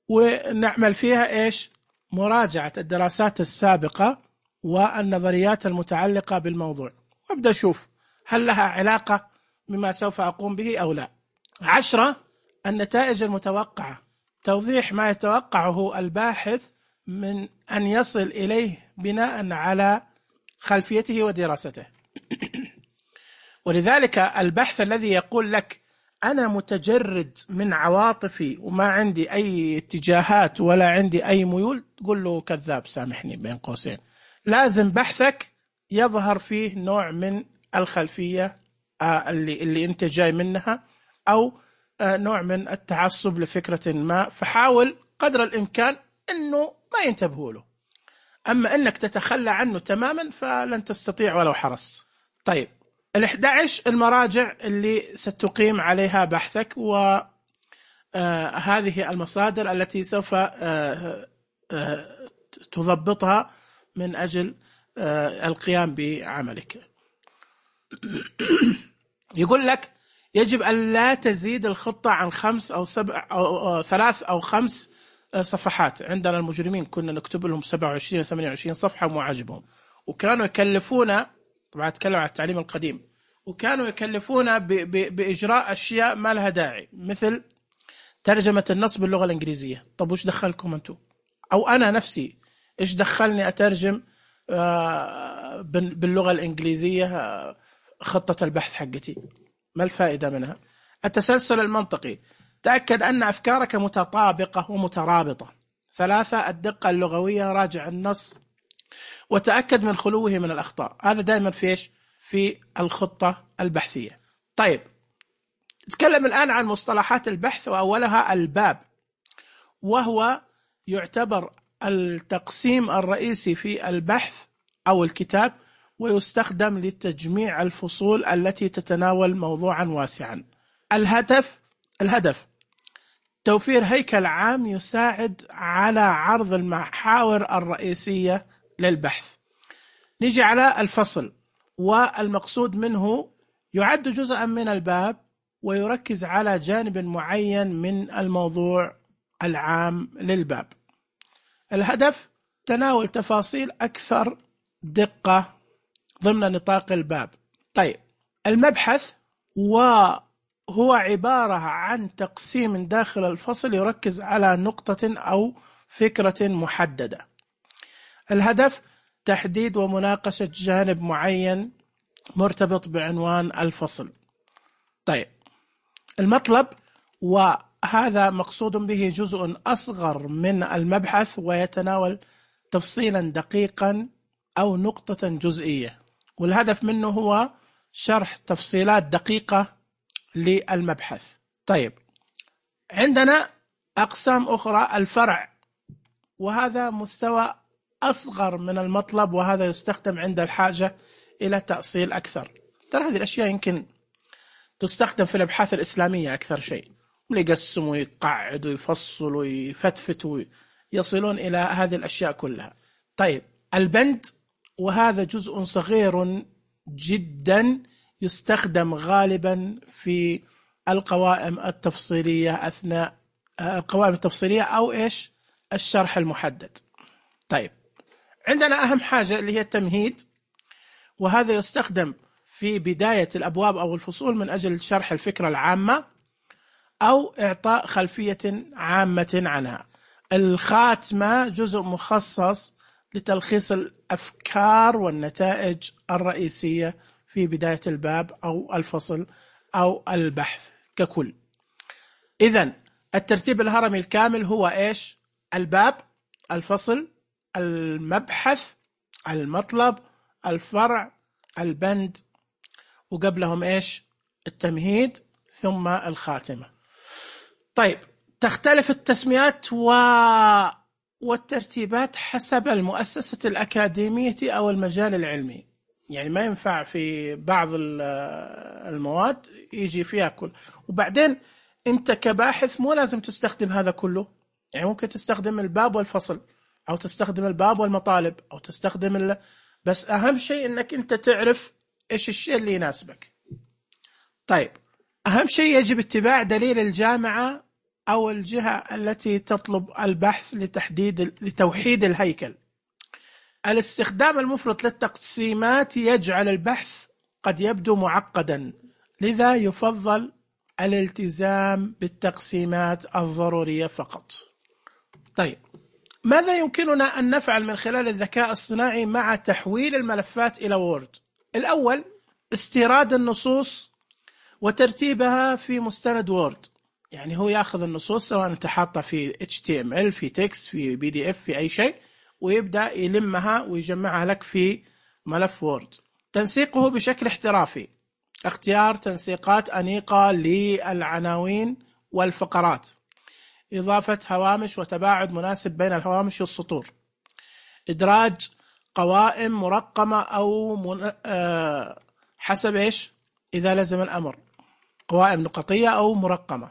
ونعمل فيها إيش؟ مراجعة الدراسات السابقة والنظريات المتعلقة بالموضوع، وابدأ أشوف هل لها علاقة بما سوف أقوم به أو لا. عشرة، النتائج المتوقعة، توضيح ما يتوقعه الباحث من أن يصل إليه بناء على خلفيته ودراسته. ولذلك البحث الذي يقول لك أنا متجرد من عواطفي وما عندي أي اتجاهات ولا عندي أي ميول، تقول له كذاب، سامحني بين قوسين. لازم بحثك يظهر فيه نوع من الخلفية اللي, اللي أنت جاي منها، أو نوع من التعصب لفكرة ما، فحاول قدر الإمكان أنه ما ينتبهوا له. أما أنك تتخلى عنه تماما فلن تستطيع ولو حرصت. طيب الإحدى عشر المراجع اللي ستقيم عليها بحثك، وهذه المصادر التي سوف تضبطها من أجل القيام بعملك. يقول لك يجب أن لا تزيد الخطة عن خمس أو سبع أو ثلاث أو خمس صفحات. عندنا المجرمين كنا نكتب لهم سبعة وعشرين ثمانية وعشرين صفحة وما عجبهم، وكانوا يكلفونا، طبعا أتكلم عن التعليم القديم، وكانوا يكلفونا بإجراء أشياء ما لها داعي، مثل ترجمة النص باللغة الإنجليزية. طب وش دخلكم أنتم؟ أو أنا نفسي إيش دخلني أترجم باللغة الإنجليزية خطة البحث حقتي؟ ما الفائدة منها؟ التسلسل المنطقي، تأكد أن أفكارك متطابقة ومترابطة. ثلاثة، الدقة اللغوية، راجع النص وتأكد من خلوه من الأخطاء. هذا دائما في إيش؟ في الخطة البحثية. طيب نتكلم الآن عن مصطلحات البحث، وأولها الباب، وهو يعتبر التقسيم الرئيسي في البحث أو الكتاب، ويستخدم لتجميع الفصول التي تتناول موضوعا واسعا. الهدف الهدف توفير هيكل عام يساعد على عرض المحاور الرئيسية للبحث. نيجي على الفصل، والمقصود منه يعد جزءا من الباب ويركز على جانب معين من الموضوع العام للباب. الهدف تناول تفاصيل أكثر دقة ضمن نطاق الباب. طيب المبحث وهو عبارة عن تقسيم داخل الفصل يركز على نقطة أو فكرة محددة. الهدف تحديد ومناقشة جانب معين مرتبط بعنوان الفصل. طيب المطلب، وهذا مقصود به جزء أصغر من المبحث ويتناول تفصيلا دقيقا أو نقطة جزئية، والهدف منه هو شرح تفصيلات دقيقة للمبحث. طيب عندنا أقسام أخرى، الفرع، وهذا مستوى أصغر من المطلب، وهذا يستخدم عند الحاجة إلى تأصيل أكثر. ترى هذه الأشياء يمكن تستخدم في الأبحاث الإسلامية أكثر شيء، يقسموا ويقعدوا ويفصلوا ويفتفتوا يصلون إلى هذه الأشياء كلها. طيب البند، وهذا جزء صغير جدا يستخدم غالبا في القوائم التفصيلية أثناء القوائم التفصيلية أو إيش الشرح المحدد. طيب عندنا أهم حاجة اللي هي التمهيد، وهذا يستخدم في بداية الأبواب أو الفصول من أجل شرح الفكرة العامة أو إعطاء خلفية عامة عنها. الخاتمة جزء مخصص لتلخيص الأفكار والنتائج الرئيسية في بداية الباب أو الفصل أو البحث ككل. إذن الترتيب الهرمي الكامل هو إيش؟ الباب، الفصل، المبحث، المطلب، الفرع، البند، وقبلهم إيش؟ التمهيد، ثم الخاتمة. طيب تختلف التسميات و... والترتيبات حسب المؤسسة الأكاديمية أو المجال العلمي. يعني ما ينفع في بعض المواد يجي فيها كل، وبعدين أنت كباحث مو لازم تستخدم هذا كله، يعني ممكن تستخدم الباب والفصل، أو تستخدم الباب والمطالب، أو تستخدم ال... بس أهم شيء أنك أنت تعرف إيش الشيء اللي يناسبك. طيب، أهم شيء يجب اتباع دليل الجامعة أو الجهة التي تطلب البحث لتحديد لتوحيد الهيكل. الاستخدام المفرط للتقسيمات يجعل البحث قد يبدو معقدا، لذا يفضل الالتزام بالتقسيمات الضرورية فقط. طيب، ماذا يمكننا أن نفعل من خلال الذكاء الصناعي مع تحويل الملفات إلى وورد؟ الأول، استيراد النصوص وترتيبها في مستند وورد. يعني هو يأخذ النصوص سواء انت حاطها في إتش تي إم إل، في تكست، في بي دي إف، في أي شيء، ويبدأ يلمها ويجمعها لك في ملف وورد. تنسيقه بشكل احترافي، اختيار تنسيقات أنيقة للعناوين والفقرات، إضافة هوامش وتباعد مناسب بين الهوامش والسطور، إدراج قوائم مرقمة أو من... أه... حسب إيش إذا لزم الأمر، قوائم نقطية أو مرقمة،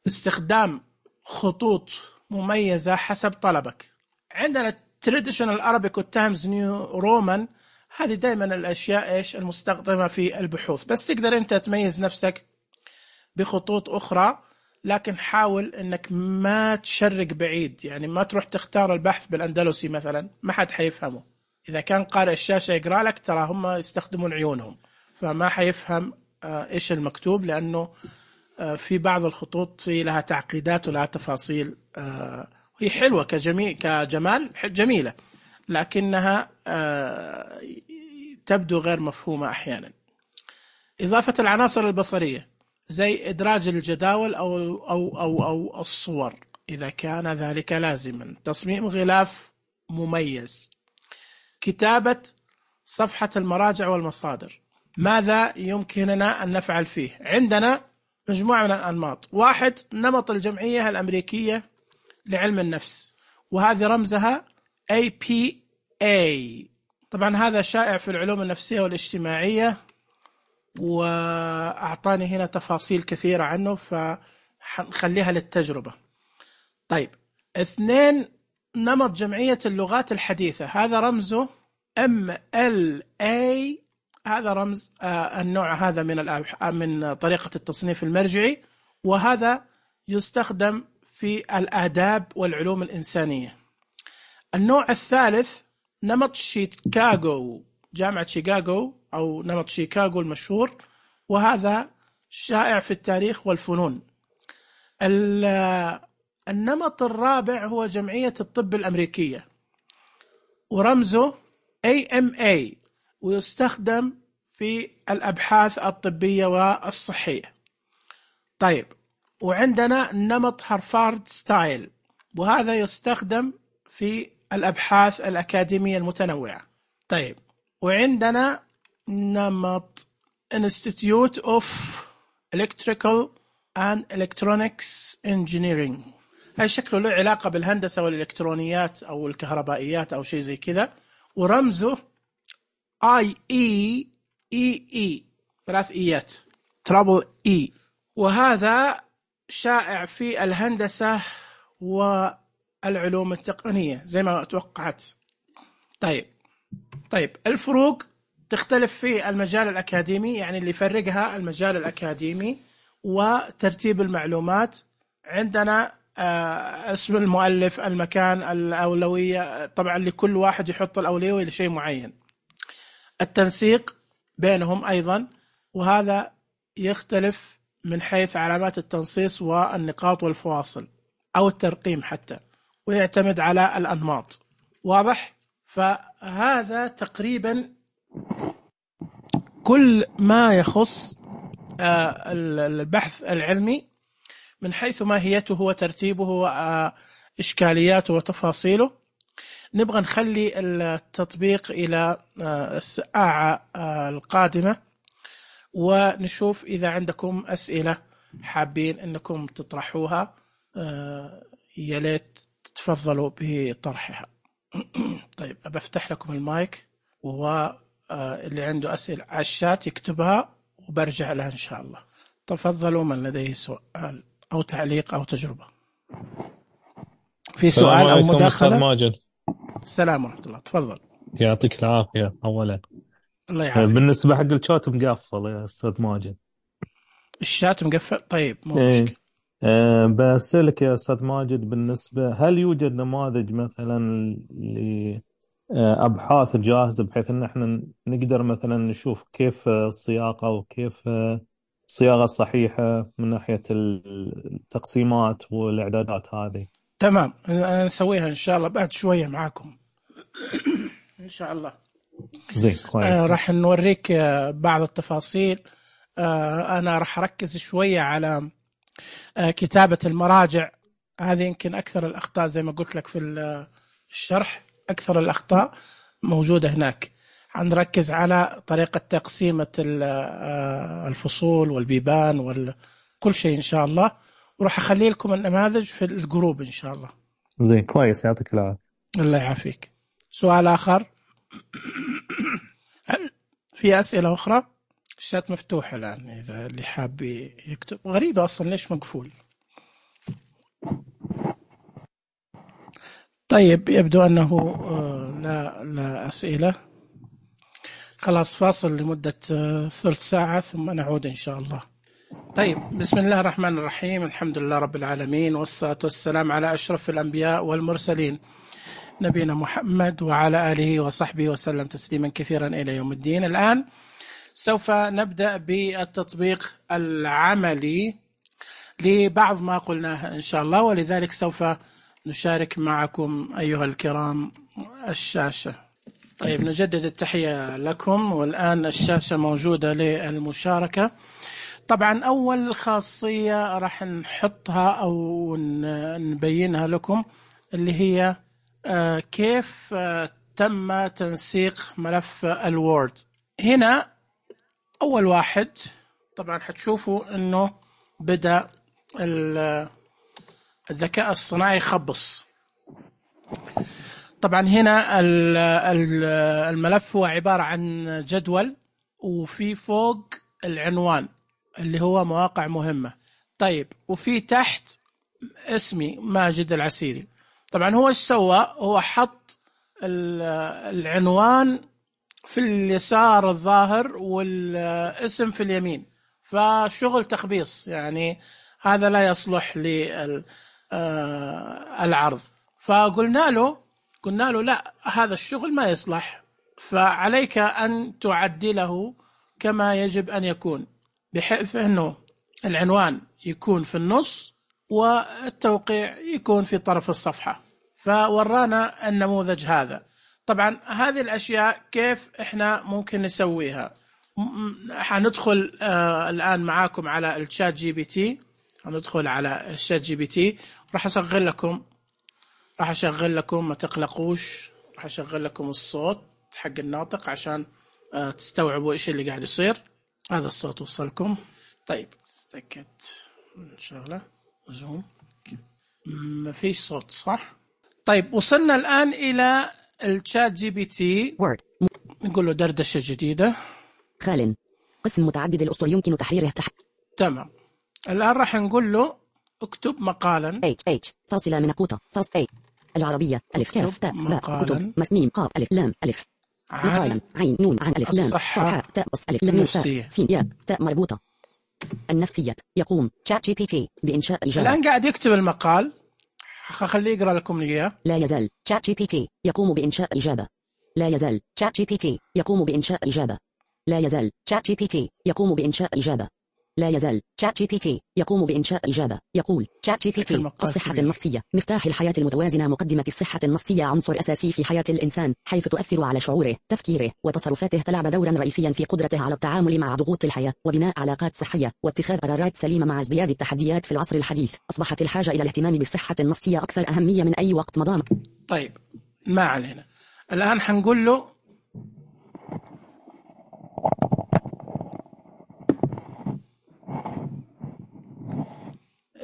استخدام خطوط مميزة حسب طلبك. عندنا traditional Arabic والتايمز نيو رومان، هذه دائما الأشياء إيش المستخدمة في البحوث، بس تقدر أنت تميز نفسك بخطوط أخرى، لكن حاول أنك ما تشرق بعيد. يعني ما تروح تختار البحث بالأندلسي مثلا، ما حد حيفهمه. إذا كان قارئ الشاشة يقرأ لك، ترى هم يستخدمون عيونهم، فما حيفهم إيش المكتوب، لأنه في بعض الخطوط في لها تعقيدات ولها تفاصيل. هي حلوة كجميل كجمال جميلة، لكنها تبدو غير مفهومة أحيانا. إضافة العناصر البصرية زي إدراج الجداول أو أو أو أو الصور إذا كان ذلك لازما. تصميم غلاف مميز. كتابة صفحة المراجع والمصادر. ماذا يمكننا أن نفعل فيه؟ عندنا مجموعة من الأنماط. واحد، نمط الجمعية الأمريكية لعلم النفس، وهذه رمزها إيه بي إيه. طبعا هذا شائع في العلوم النفسية والاجتماعية، وأعطاني هنا تفاصيل كثيرة عنه، فنخليها للتجربة. طيب، اثنين، نمط جمعية اللغات الحديثة، هذا رمزه إم إل إيه. هذا رمز آه النوع هذا من من طريقة التصنيف المرجعي، وهذا يستخدم في الآداب والعلوم الإنسانية. النوع الثالث، نمط شيكاغو، جامعة شيكاغو أو نمط شيكاغو المشهور، وهذا شائع في التاريخ والفنون. النمط الرابع هو جمعية الطب الأمريكية، ورمزه إيه إم إيه، ويستخدم في الأبحاث الطبية والصحية. طيب، وعندنا نمط هارفارد ستايل، وهذا يستخدم في الأبحاث الأكاديمية المتنوعة. طيب، وعندنا نمط Institute of Electrical and Electronics Engineering، هاي شكله له علاقة بالهندسة والإلكترونيات أو الكهربائيات أو شيء زي كذا، ورمزه آي إي إي إي، ثلاث إيات، ترابل إي، وهذا شائع في الهندسة والعلوم التقنية زي ما توقعت. طيب طيب الفروق تختلف في المجال الأكاديمي، يعني اللي يفرقها المجال الأكاديمي وترتيب المعلومات. عندنا آه اسم المؤلف، المكان، الأولوية، طبعا لكل واحد يحط الأولوية لشيء معين. التنسيق بينهم أيضا، وهذا يختلف من حيث علامات التنصيص والنقاط والفواصل أو الترقيم حتى، ويعتمد على الأنماط. واضح؟ فهذا تقريبا كل ما يخص البحث العلمي من حيث ماهيته وترتيبه وإشكالياته وتفاصيله. نبغى نخلي التطبيق إلى الساعة القادمة، ونشوف إذا عندكم أسئلة حابين أنكم تطرحوها، يا ليت تتفضلوا بطرحها. طيب، أبفتح لكم المايك، وهو اللي عنده أسئلة على الشات يكتبها وبرجع لها إن شاء الله. تفضلوا من لديه سؤال أو تعليق أو تجربة. في سؤال أو عليكم مداخلة؟ أستاذ ماجد. السلام ورحمة الله، تفضل. يعطيك العافية. أولا الله يعافيك. بالنسبة حق الشات مقفل يا أستاذ ماجد. الشات مقفل؟ طيب مو إيه. مشكلة. أه بسألك يا أستاذ ماجد، بالنسبة هل يوجد نماذج مثلا لأبحاث جاهزة بحيث أن احنا نقدر مثلا نشوف كيف الصياغة وكيف الصياغة الصحيحة من ناحية التقسيمات والإعدادات هذه؟ تمام، نسويها إن شاء الله بعد شوية معاكم إن شاء الله. زين كويس. آه راح نوريك آه بعض التفاصيل. آه أنا راح أركز شوية على آه كتابة المراجع. هذه يمكن أكثر الأخطاء، زي ما قلت لك في الشرح، أكثر الأخطاء موجودة هناك. هنركز على طريقة تقسيمة الفصول والبيبان وكل شيء إن شاء الله، وراح أخلي لكم النماذج في الجروب إن شاء الله. زين كويس، يعطيك العافية. الله يعافيك. سؤال آخر؟ هل في أسئلة أخرى؟ الشات مفتوح الآن إذا اللي حاب يكتب. غريبة أصلا ليش مقفول؟ طيب يبدو أنه لا لا أسئلة. خلاص فاصل لمدة ثلث ساعة ثم نعود إن شاء الله. طيب بسم الله الرحمن الرحيم، الحمد لله رب العالمين، والصلاة والسلام على أشرف الأنبياء والمرسلين نبينا محمد وعلى آله وصحبه وسلم تسليما كثيرا إلى يوم الدين. الآن سوف نبدأ بالتطبيق العملي لبعض ما قلناه إن شاء الله، ولذلك سوف نشارك معكم أيها الكرام الشاشة. طيب نجدد التحية لكم، والآن الشاشة موجودة للمشاركة. طبعا أول خاصية راح نحطها أو نبينها لكم اللي هي كيف تم تنسيق ملف الوورد. هنا أول واحد طبعا حتشوفوا أنه بدأ الذكاء الصناعي يخبص. طبعا هنا الملف هو عبارة عن جدول، وفي فوق العنوان اللي هو مواقع مهمة. طيب وفي تحت اسمي ماجد العسيري. طبعا هو ايش سوى؟ هو حط العنوان في اليسار الظاهر والاسم في اليمين، فشغل تخبيص، يعني هذا لا يصلح للعرض. فقلنا له قلنا له لا، هذا الشغل ما يصلح، فعليك أن تعدله كما يجب أن يكون، بحيث أنه العنوان يكون في النص والتوقيع يكون في طرف الصفحة. فورانا النموذج هذا. طبعا هذه الأشياء كيف إحنا ممكن نسويها؟ حندخل آه الآن معاكم على الشات جي بي تي. هندخل على الشات جي بي تي، راح أشغل لكم راح أشغل لكم ما تقلقوش، راح أشغل لكم الصوت حق الناطق عشان آه تستوعبوا إيش اللي قاعد يصير. هذا الصوت وصلكم؟ طيب تأكد شغلة زوم، ما فيش صوت صح؟ طيب وصلنا الآن إلى الشات جي بي تي. Word. نقول له دردشة جديدة. خال قسم متعدد الأسطر يمكن تحريره تح... تمام. الآن راح نقول له اكتب مقالا. H H فاصلة من قوطة فاصل A العربية ألف كاف تاء باء كتب مسميم قاف ألف لام ألف مقالا عين نون عن ألف لام صحة تاء بص ألف لام تاء سين ياء تاء مربوطة. النفسية يقوم شات جي بي تي بإنشاء إجابة. الآن قاعد يكتب المقال، خليه يقرأ لكم إياه. لا يزال شات جي بي تي يقوم بإنشاء إجابة. لا يزال شات جي بي تي يقوم بإنشاء إجابة. لا يزال شات جي بي تي يقوم بإنشاء إجابة. لا يزال شات جي بي تي يقوم بإنشاء إجابة. يقول شات جي بي تي الصحة النفسية مفتاح الحياة المتوازنة. مقدمة الصحة النفسية عنصر أساسي في حياة الإنسان، حيث تؤثر على شعوره، تفكيره وتصرفاته. تلعب دورا رئيسيا في قدرته على التعامل مع ضغوط الحياة وبناء علاقات صحية واتخاذ قرارات سليمة. مع ازدياد التحديات في العصر الحديث، أصبحت الحاجة إلى الاهتمام بالصحة النفسية أكثر أهمية من أي وقت مضى. طيب ما علينا. الآن حنقول له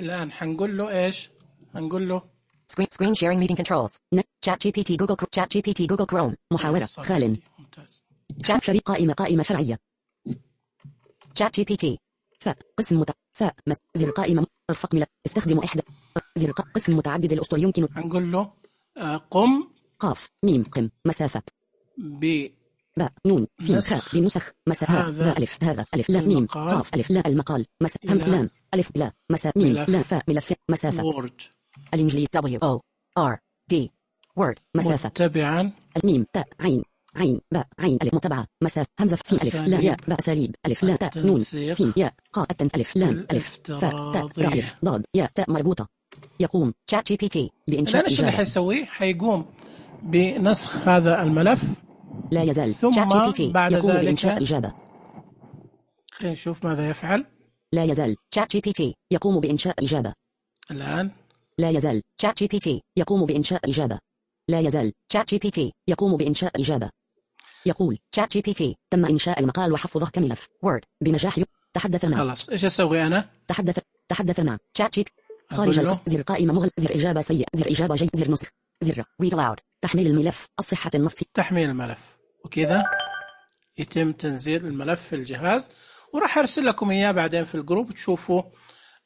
الآن حنقول له إيش؟ حنقول له Screen Screen Sharing Meeting Controls. Chat جي بي تي Google Chat جي بي تي Google Chrome. محاورة خال. Chat شريك قائمة قائمة فرعية. Chat جي بي تي. ف قسم مت ف مس زر قائمة ارفق ملف. استخدم إحدى زر ق- قسم متعدد الأسطر يمكن هنقول له آه، قم قاف ميم قم مسافة ب باء نون سين نسخ خاء بنسخ مساء هذا ذا ألف هذا ألف لا ميم المقال قاف ألف لا المقال مساء همس إلى لام ألف لا مساء ميم ملف لا فاء ملف مسافة وورد الإنجليز W O R D word مسافة متبعا الميم تاء عين عين باء عين ألف متبعة مسافة همزة سين ألف لا ياء باء أساليب ألف لا تاء نون التنسيق سين ياء قاء التنس ألف لام ألف فاء تاء راء الافتراضي. ألف ضاد ياء تاء مربوطة يقوم شات جي بي تي بإنشاء الآن ايش اللي إجابة حيسويه؟ حيقوم بنسخ هذا الملف لا يزال ثم شات جي بي تي بعد يقوم ذلك بإنشاء إجابة خلينا نشوف ماذا يفعل لا يزال شات جي بي تي يقوم بإنشاء إجابة الآن. لا يزال شات جي بي تي يقوم بإنشاء إجابة لا يزال شات جي بي تي يقوم بإنشاء إجابة يقول شات جي بي تي تم إنشاء المقال وحفظه كملف وورد بنجاح ي- تحدث مع خلاص ايش اسوي انا؟ تحدث تحدث مع شات جي خارج أقول له. القص زر قائمة مغلق زر إجابة سيء زر إجابة جيد زر نسخ زر read aloud تحميل الملف الصحة النفسي تحميل الملف وكذا يتم تنزيل الملف في الجهاز، وراح ارسل لكم اياه بعدين في الجروب تشوفوا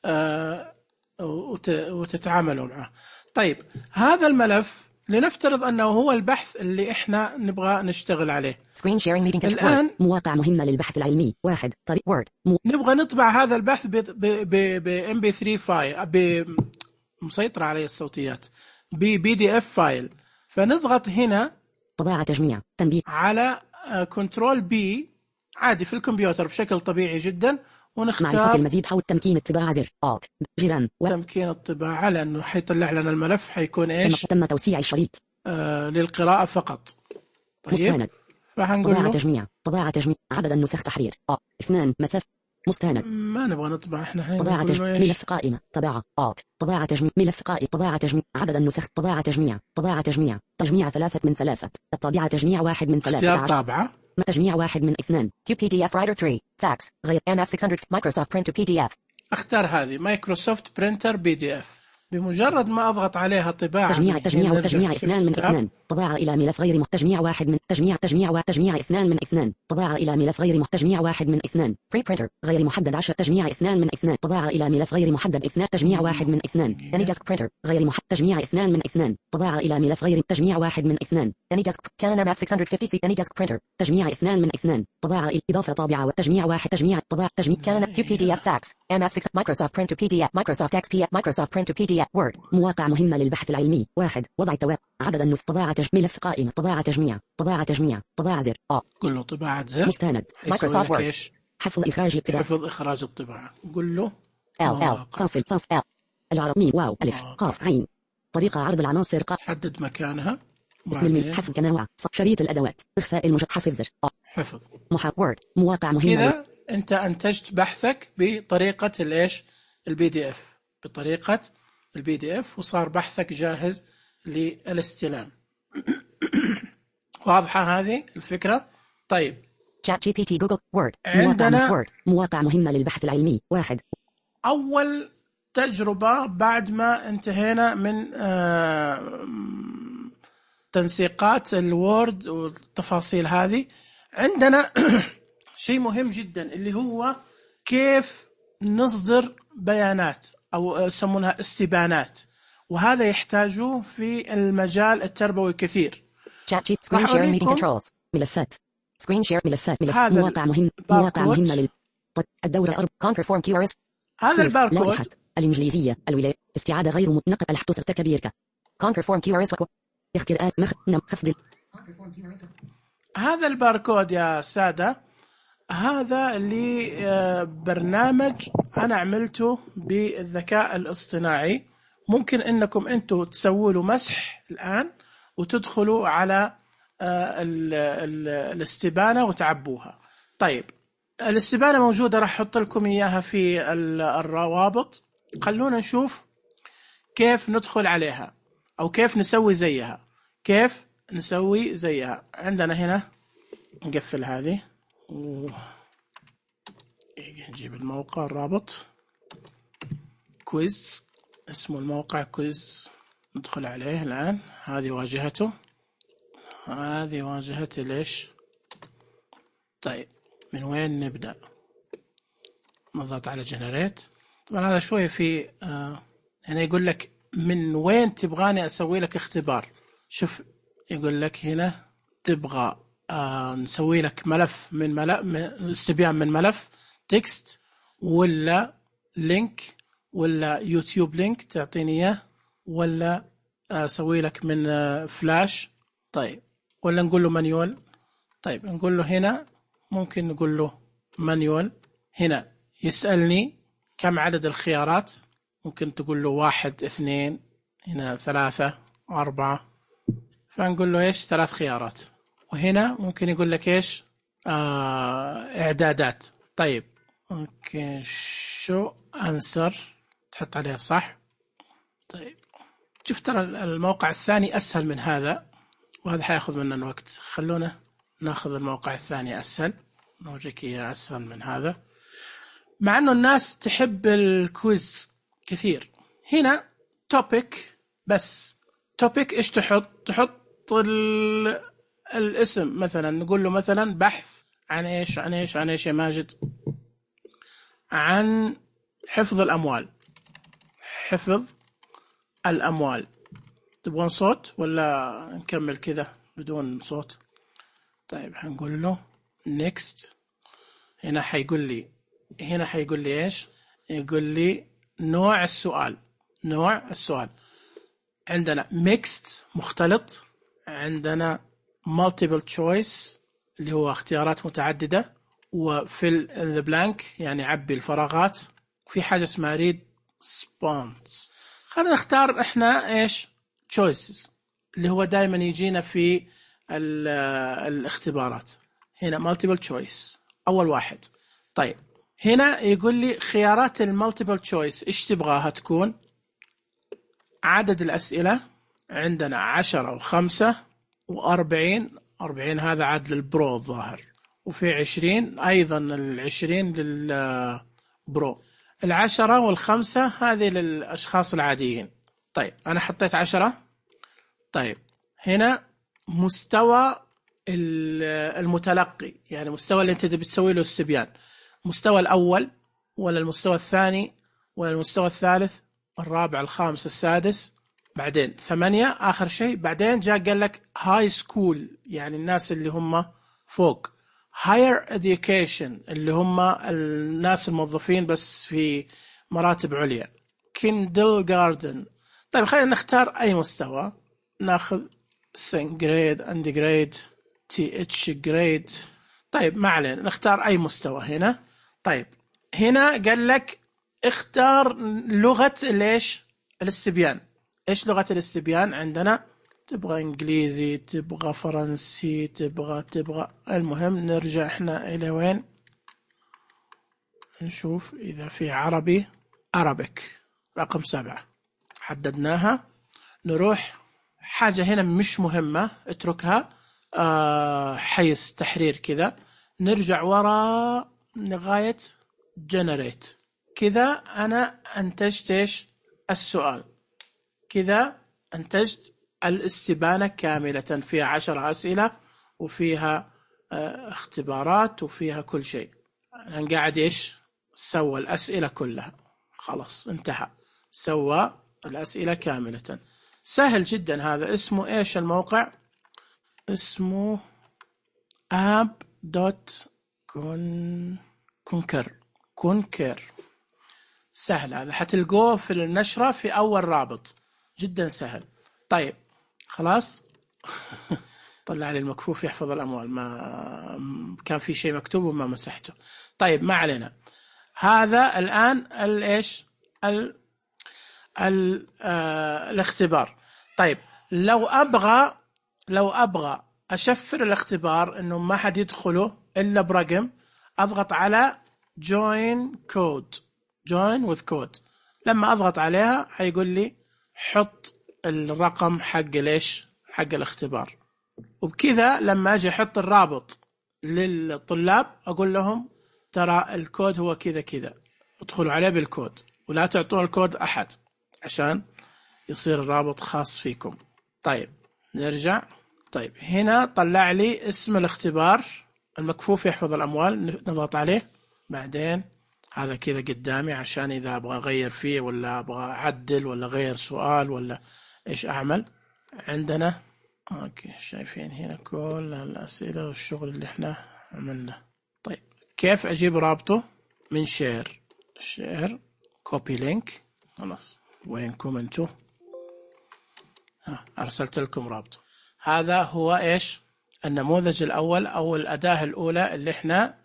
آه وت- وتتعاملوا معه. طيب هذا الملف لنفترض انه هو البحث اللي احنا نبغى نشتغل عليه. سكرين شيرنج ميتنج الآن مواقع مهمة للبحث العلمي واحد طريق وورد مو نبغى نطبع هذا البحث ب ام بي ثري فايل، ب مسيطرة عليه الصوتيات، ب بي دي اف فايل. فنضغط هنا طباعة تجميع تنبيه على كنترول بي عادي في الكمبيوتر بشكل طبيعي جدا، معرفة ونختار المزيد حول تمكين الطباعة زر Alt جيران و تمكين الطباعة لأنه حيطلع لنا الملف حيكون إيش تم توسيع الشريط آه للقراءة فقط. طيب مستند فهنقول طباعة له تجميع طباعة تجميع عدد النسخ تحرير أ اثنان مسافة مستند ما نبغى نطبع احنا هنا، طباعة نقول تجميع له إيش ملف قائمة طباعة Alt طباعة تجميع ملف قائمة طباعة تجميع عدد النسخ طباعة تجميع طباعة تجميع تجميع ثلاثة من ثلاثة الطابعة تجميع واحد من ثلاثة اختيار عشر طابعة. ما تجميع واحد من اثنان كيو بي دي اف رايتر ثلاثة فاكس غير ام اف ستمائة مايكروسوفت برنت بي دي اف اختار هذه مايكروسوفت برينتر بي دي اف. بمجرد ما اضغط عليها طباعة تجميع من تجميع هنا وتجميع نرجع اثنان من شفت اثنان طباعة إلى ملف غير محت تجميع واحد من تجميع تجميع وتجميع اثنان من اثنان طباعة إلى ملف غير محت تجميع واحد من اثنان بري برينتر غير محدد عشر تجميع اثنان من اثنان طباعة إلى ملف غير محدد اثنان تجميع واحد من اثنان أني ديسك برينتر غير محدد تجميع اثنان من اثنان طباعة إلى ملف غير تجميع واحد من اثنان أني ديسك كان ام اف ستمائة وخمسين سي أني ديسك برينتر تجميع اثنان من اثنان طباعة إلى إضافة طابعة والتجميع واحد تجميع طباعة تجميع كان كيو بي دي اف فاكس ام اف ستة مايكروسوفت برنت بي دي اف مايكروسوفت اكس بي اف مايكروسوفت برنت بي دي اف وورد مواقع مهمة للبحث العلمي واحد وضع التواب عدد النص طباعة تج... ملف قائمة طباعة تجميع طباعة تجميع طباعة زر أ قل له طباعة زر مستند حيسوي مايكروسوفت لك وورد ايش؟ حفظ إخراج الطباعة حفظ إخراج الطباعة. قل له ال ال مواقع. فاصل فاصل ال العرب ميم واو ألف مواقع. قاف عين طريقة عرض العناصر ق حدد مكانها. اسم الميم بعدين حفظ كنوع شريط الأدوات إخفاء المج حفظ زر أ حفظ. محا وورد مواقع مهمة كذا انت انتجت بحثك بطريقة الايش؟ البي دي اف، بطريقة البي دي اف، وصار بحثك جاهز للاستلام. واضحة هذه الفكرة؟ طيب شات جي بي تي جوجل وورد عندنا- مواقع وورد مواقع مهمة للبحث العلمي واحد أول تجربة بعد ما انتهينا من آه، تنسيقات الوورد والتفاصيل هذه، عندنا شيء مهم جدا اللي هو كيف نصدر بيانات أو يسمونها استبانات، وهذا يحتاجوه في المجال التربوي كثير. شات جي سكرين راح شيرنج ميتنج أوريكم كنترولز ملفات سكرين شير ملفات ملف هذا مواقع مهم الباركود. مواقع مهمة لل طيب، الدورة أرب كونكر فورم كيو ارز هذا الباركود لائحة الإنجليزية الولاية استعادة غير متنقل الحدوث ارتكبيرك كونكر فورم كيو ارز اختيارات مخ نم خفض هذا الباركود يا سادة، هذا اللي آه، برنامج أنا عملته بالذكاء الاصطناعي. ممكن أنكم أنتوا تسووا له مسح الآن وتدخلوا على آه، ال- ال- الاستبانة وتعبوها. طيب الاستبانة موجودة، راح أحط لكم إياها في ال- الروابط. خلونا نشوف كيف ندخل عليها أو كيف نسوي زيها. كيف نسوي زيها؟ عندنا هنا نقفل هذه و... نجيب الموقع الرابط كويز، اسمه الموقع كويز، ندخل عليه الآن. هذه واجهته، هذه واجهة ليش. طيب من وين نبدأ؟ نضغط على جنريت. طبعا هذا شوي في آه هنا يقول لك من وين تبغاني أسوي لك اختبار. شوف يقول لك هنا تبغى آه نسوي لك ملف من ملف استبيان من ملف تكست ولا لينك ولا يوتيوب لينك تعطيني إياه، ولا أسوي لك من آه فلاش. طيب ولا نقول له مانيول. طيب نقول له هنا ممكن نقول له مانيول. هنا يسألني كم عدد الخيارات، ممكن تقول له واحد اثنين، هنا ثلاثة أربعة، فنقول له إيش ثلاث خيارات. وهنا ممكن يقول لك إيش آه إعدادات. طيب ممكن شو أنسر تحط عليها صح. طيب شوف ترى الموقع الثاني أسهل من هذا، وهذا حياخذ مننا وقت. خلونا ناخذ الموقع الثاني أسهل، نوريك إياه أسهل من هذا، مع أنه الناس تحب الكويز كثير. هنا توبيك بس. توبيك إيش تحط؟ تحط الاسم مثلا، نقول له مثلا بحث عن إيش عن إيش عن إيش يا ماجد؟ عن حفظ الأموال. حفظ الأموال. تبغون صوت ولا نكمل كذا بدون صوت؟ طيب هنقول له next. هنا حيقول لي هنا حيقول لي إيش؟ يقول لي نوع السؤال. نوع السؤال عندنا mixed مختلط، عندنا multiple choice اللي هو اختيارات متعددة، وfill in the blank يعني عبي الفراغات، وفي حاجة اسمها read response. خلينا نختار احنا ايش choices اللي هو دائما يجينا في الاختبارات. هنا multiple choice أول واحد. طيب هنا يقول لي خيارات المالتيبل choice إيش تبغاها تكون؟ عدد الأسئلة عندنا عشرة وخمسة وأربعين. أربعين هذا عاد للبرو الظاهر، وفي عشرين أيضا العشرين للبرو. العشرة والخمسة هذه للأشخاص العاديين. طيب أنا حطيت عشرة. طيب هنا مستوى المتلقي، يعني مستوى اللي أنت بتسوي له استبيان، مستوى الأول ولا المستوى الثاني ولا المستوى الثالث الرابع الخامس السادس، بعدين ثمانية آخر شيء. بعدين جاء قال لك هاي سكول يعني الناس اللي هم فوق، higher education اللي هم الناس الموظفين بس في مراتب عليا، kindergarten. طيب خلينا نختار أي مستوى، ناخذ second grade undergrade تي اتش grade. طيب ما علينا نختار أي مستوى هنا. طيب هنا قال لك اختار لغة ليش الاستبيان. إيش لغة الاستبيان عندنا؟ تبغى إنجليزي، تبغى فرنسي، تبغى تبغى المهم نرجع إحنا إلى وين؟ نشوف إذا في عربي. أرابيك رقم سبعة حددناها. نروح حاجة هنا مش مهمة اتركها، آه حيز تحرير كذا. نرجع وراء لغاية generate. كذا أنا أنتجت إيش السؤال، كذا أنتجت الاستبانة كاملة فيها عشر أسئلة وفيها اه اختبارات وفيها كل شيء. أنا قاعد إيش سوى الأسئلة كلها، خلاص انتهى، سوى الأسئلة كاملة. سهل جدا هذا. اسمه إيش الموقع؟ اسمه app dot conquer. conquer سهل هذا، حتلقوه في النشرة في أول رابط، جدا سهل. طيب خلاص طلع لي المكفوف يحفظ الأموال، ما كان في شيء مكتوب وما مسحته. طيب ما علينا. هذا الآن الإيش ال ال آه الاختبار. طيب لو أبغى لو أبغى أشفر الاختبار إنه ما حد يدخله إلا برقم، أضغط على join code join with code. لما أضغط عليها حيقول لي حط الرقم حق ليش حق الاختبار. وبكذا لما أجي أحط الرابط للطلاب أقول لهم ترى الكود هو كذا كذا، ادخلوا عليه بالكود ولا تعطون الكود أحد عشان يصير الرابط خاص فيكم. طيب نرجع. طيب هنا طلع لي اسم الاختبار المكفوف يحفظ الأموال، نضغط عليه. بعدين هذا كذا قدامي عشان إذا أبغى أغير فيه ولا أبغى أعدل ولا أغير سؤال ولا إيش أعمل. عندنا أوكي شايفين هنا كل الأسئلة والشغل اللي إحنا عملنا. طيب كيف أجيب رابطه؟ من شير شير كوبي لينك. خلاص وينكم أنتوا؟ أرسلت لكم رابطه. هذا هو إيش النموذج الأول أو الأداة الأولى اللي إحنا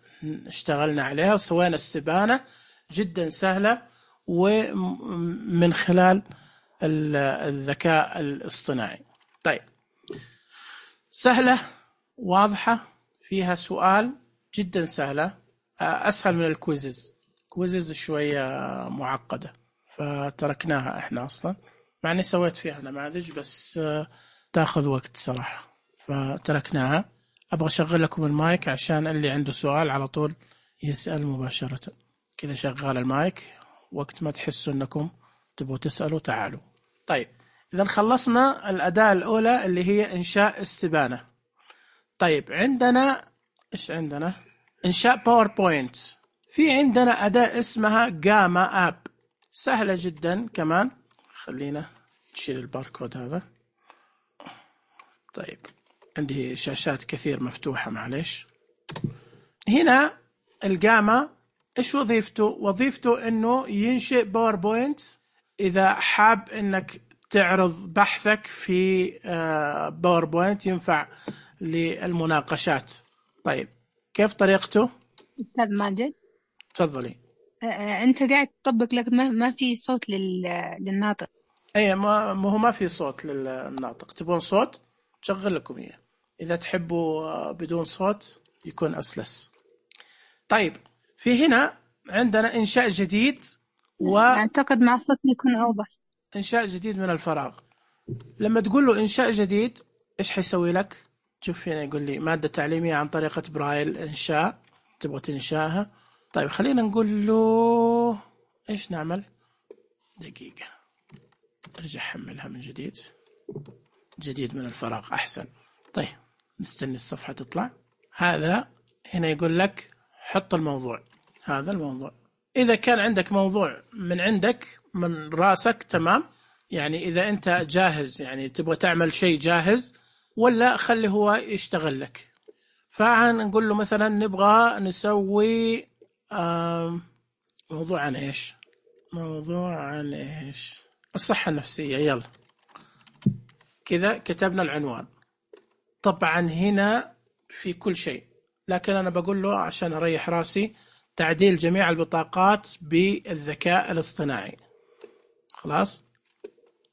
اشتغلنا عليها وسوينا استبانة جدا سهلة ومن خلال الذكاء الاصطناعي. طيب سهلة واضحة فيها سؤال جدا سهلة، أسهل من الكويزز. كويزز شوية معقدة فتركناها إحنا أصلا، مع أني سويت فيها نماذج بس تأخذ وقت صراحة فتركناها. أبغى أشغل لكم المايك عشان اللي عنده سؤال على طول يسأل مباشرة. كذا شغال المايك، وقت ما تحسوا أنكم تبغوا تسألوا تعالوا. طيب إذا خلصنا الأداة الأولى اللي هي إنشاء استبانة. طيب عندنا إيش عندنا؟ إنشاء باوربوينت. في عندنا أداة اسمها جاما آب، سهلة جدا كمان. خلينا نشيل الباركود هذا. طيب عندي شاشات كثير مفتوحة معليش. هنا الجاما إيش وظيفته؟ وظيفته إنه ينشئ باوربوينت إذا حاب إنك تعرض بحثك في باوربوينت ينفع للمناقشات. طيب كيف طريقته؟ أستاذ ماجد تفضلي. أنت قاعد تطبق لك ما ما في صوت للناطق. أي ما هو ما في صوت للناطق. تبون صوت شغل لكم إياه، إذا تحبوا بدون صوت يكون أسلس. طيب في هنا عندنا إنشاء جديد، وأعتقد مع الصوت يكون أوضح. إنشاء جديد من الفراغ. لما تقول له إنشاء جديد إيش حيسوي لك؟ شوف هنا يقول لي مادة تعليمية عن طريقة برايل إنشاء، تبغى تنشاها. طيب خلينا نقول له إيش نعمل؟ دقيقة ارجع حملها من جديد. جديد من الفراغ أحسن. طيب نستني الصفحة تطلع. هذا هنا يقول لك حط الموضوع. هذا الموضوع إذا كان عندك موضوع من عندك من راسك تمام، يعني إذا أنت جاهز يعني تبغى تعمل شيء جاهز، ولا خلي هو يشتغل لك. فنقول له مثلا نبغى نسوي موضوع عن إيش؟ موضوع عن إيش؟ الصحة النفسية. يلا كذا كتبنا العنوان. طبعا هنا في كل شيء، لكن أنا بقول له عشان أريح راسي تعديل جميع البطاقات بالذكاء الاصطناعي. خلاص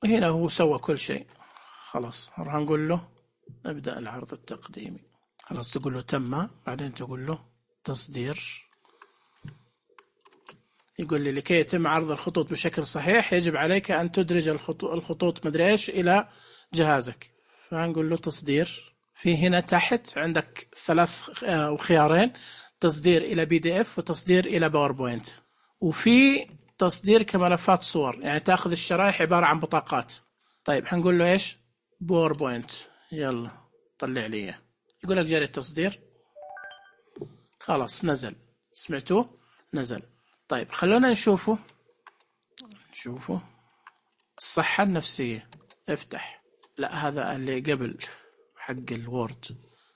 هنا هو سوى كل شيء. خلاص راح نقول له نبدأ العرض التقديمي. خلاص تقول له تم، بعدين تقول له تصدير. يقول لي لكي يتم عرض الخطوط بشكل صحيح يجب عليك أن تدرج الخطوط مدري إيش إلى جهازك. فنقول له تصدير. في هنا تحت عندك ثلاث خيارين، تصدير إلى بي دي إف وتصدير إلى باوربوينت، وفي تصدير كملفات صور، يعني تأخذ الشرائح عبارة عن بطاقات. طيب حنقول له إيش؟ باوربوينت. يلا طلع لي. يقول لك جاري التصدير. خلاص نزل، سمعتوه نزل. طيب خلونا نشوفه نشوفه الصحة النفسية. افتح. لا هذا اللي قبل حق الوورد.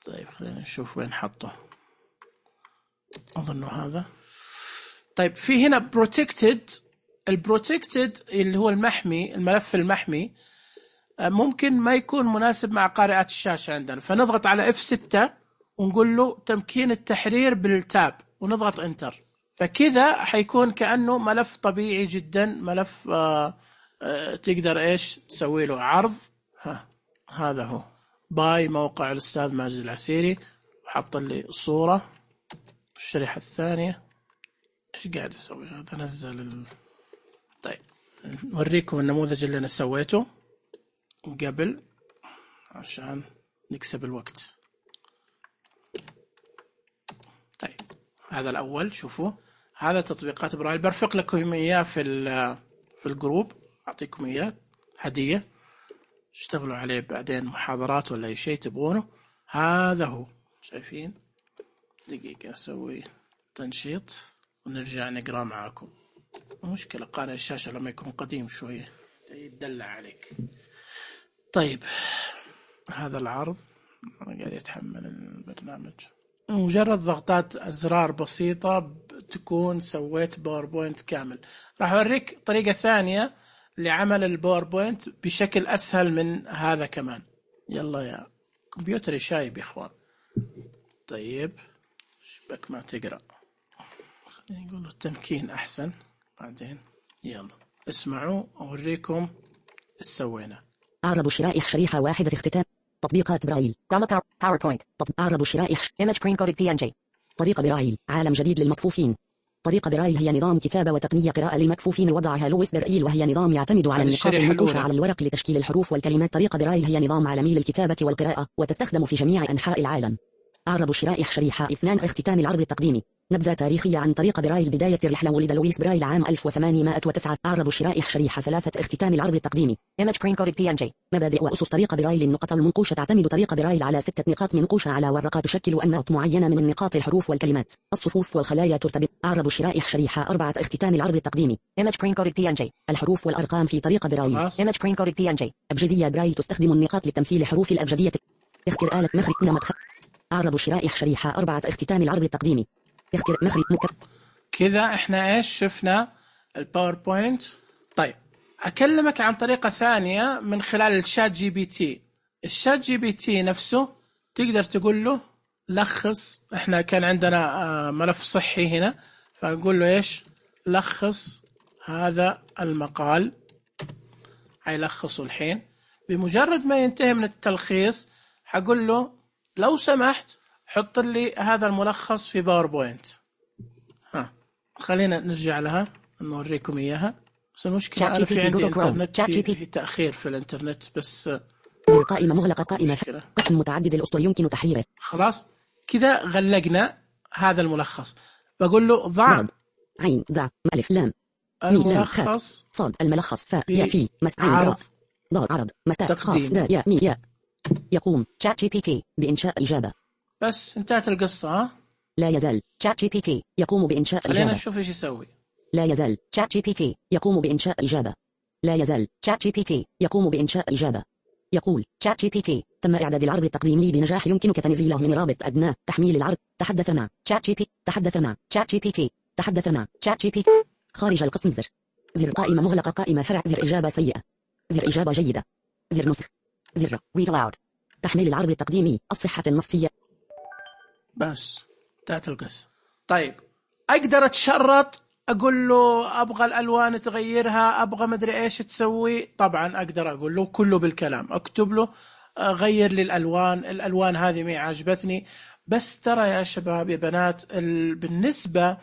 طيب خلينا نشوف وين حطه. أظنه هذا. طيب في هنا protected. البروتكتد اللي هو المحمي، الملف المحمي ممكن ما يكون مناسب مع قارئات الشاشة عندنا، فنضغط على إف ستة ونقول له تمكين التحرير بالتاب ونضغط انتر. فكذا حيكون كأنه ملف طبيعي جدا، ملف آآ آآ تقدر إيش تسوي له عرض. ها هذا هو باي موقع الأستاذ ماجد العسيري، وحط لي صورة. الشريحة الثانية إيش قاعد يسوي هذا؟ نزل ال... طيب نوريكم النموذج اللي أنا سويته قبل عشان نكسب الوقت. طيب هذا الأول شوفوا، هذا تطبيقات برايل، برفق لكم إياه في في الجروب، أعطيكم إياه هدية اشتغلوا عليه بعدين محاضرات ولا أي شيء تبغونه. هذا هو شايفين. دقيقة أسوي تنشيط. ونرجع نقرأ معاكم. مشكلة قارئ الشاشة لما يكون قديم شوية يتدلع عليك. طيب هذا العرض قاعد يتحمل البرنامج. مجرد ضغطات أزرار بسيطة تكون سويت باوربوينت كامل. راح أوريك طريقة ثانية لعمل الباوربوينت بشكل أسهل من هذا كمان. يلا يا كمبيوتري شايب يا إخوان. طيب شبك ما تقرأ، خلينا نقول التمكين أحسن. بعدين يلا اسمعوا أوريكم إيش سوينا. أعرض شراء شريحة واحدة اختتام تطبيقات برايل باوربوينت. أعرض شراء Image Print Coded بي إن جي. طريقة برايل عالم جديد للمكفوفين. طريقة برايل هي نظام كتابة وتقنية قراءة للمكفوفين وضعها لويس برايل، وهي نظام يعتمد على النقاط المنقوشة على الورق لتشكيل الحروف والكلمات. طريقة برايل هي نظام عالمي للكتابة والقراءة وتستخدم في جميع أنحاء العالم. أعرض شراء شريحة اثنان اختتام العرض التقديمي. نبذة تاريخية عن طريقة برايل. بداية الرحلة. ولد لويس برايل عام ألف وثمانمائة وتسعة. أعرض شراء شريحة ثلاثة اختتام العرض التقديمي. Image Print Coded بي إن جي. مبادئ وأسس طريقة برايل. النقط المنقوشة. تعتمد طريقة برايل على ستة نقاط منقوشة على ورقة تشكل أنماط معينة من النقاط الحروف والكلمات. الصفوف والخلايا ترتبط. أعرض شراء شريحة أربعة اختتام العرض التقديمي. Image Print Coded بي إن جي. الحروف والأرقام في طريقة برايل. Image Print Coded بي إن جي. أبجدية برايل تستخدم النقاط لتمثيل حروف الأبجدية. اختر آلة مخرج نمط. أعرض شراء شريحة أربعة اختتام العرض التقديمي. اختر مخرج مكب. كذا احنا ايش شفنا الباوربوينت. طيب اكلمك عن طريقة ثانية من خلال الشات جي بي تي. الشات جي بي تي نفسه تقدر تقول له لخص. احنا كان عندنا ملف صحي هنا، فاقول له ايش لخص هذا المقال. هيلخصه الحين. بمجرد ما ينتهي من التلخيص حقول له لو سمحت حط لي هذا الملخص في باوربوينت. ها خلينا نرجع لها نوريكم اياها. بس المشكلة أنا في عندي انترنت في, في تأخير في الانترنت بس. زر قائمة مغلقة. قائمة قسم متعدد الأسطر يمكن تحريره. خلاص كذا غلقنا هذا الملخص. بقول له ضع عين ضع ألف لام الملخص صاد الملخص فاء يا في مس عين عرض ضاد عرض مستاء خاف دا يا مي يا. يقوم شات جي بي تي بإنشاء إجابة. بس انتهت القصة. ها لا يزال شات جي بي تي يقوم بإنشاء إجابة. خلينا نشوف ايش يسوي. لا يزال شات جي بي تي يقوم بإنشاء إجابة. لا يزال شات جي بي تي يقوم بإنشاء إجابة. يقول شات جي بي تي تم إعداد العرض التقديمي بنجاح. يمكنك تنزيله من رابط أدنى تحميل العرض. تحدث مع شات جي بي تحدث مع شات جي بي تي تحدث مع شات جي بي تي. خارج القسم. زر زر قائمة مغلقة. قائمة فرع. زر إجابة سيئة. زر إجابة جيدة. زر نسخ. زر read aloud. تحميل العرض التقديمي. الصحة النفسية. بس انتهت القصة. طيب أقدر أتشرط أقول له أبغى الألوان تغيرها، أبغى مدري إيش تسوي. طبعا أقدر أقول له كله بالكلام. أكتب له غير لي الألوان، الألوان هذه ما عجبتني. بس ترى يا شباب يا بنات بالنسبة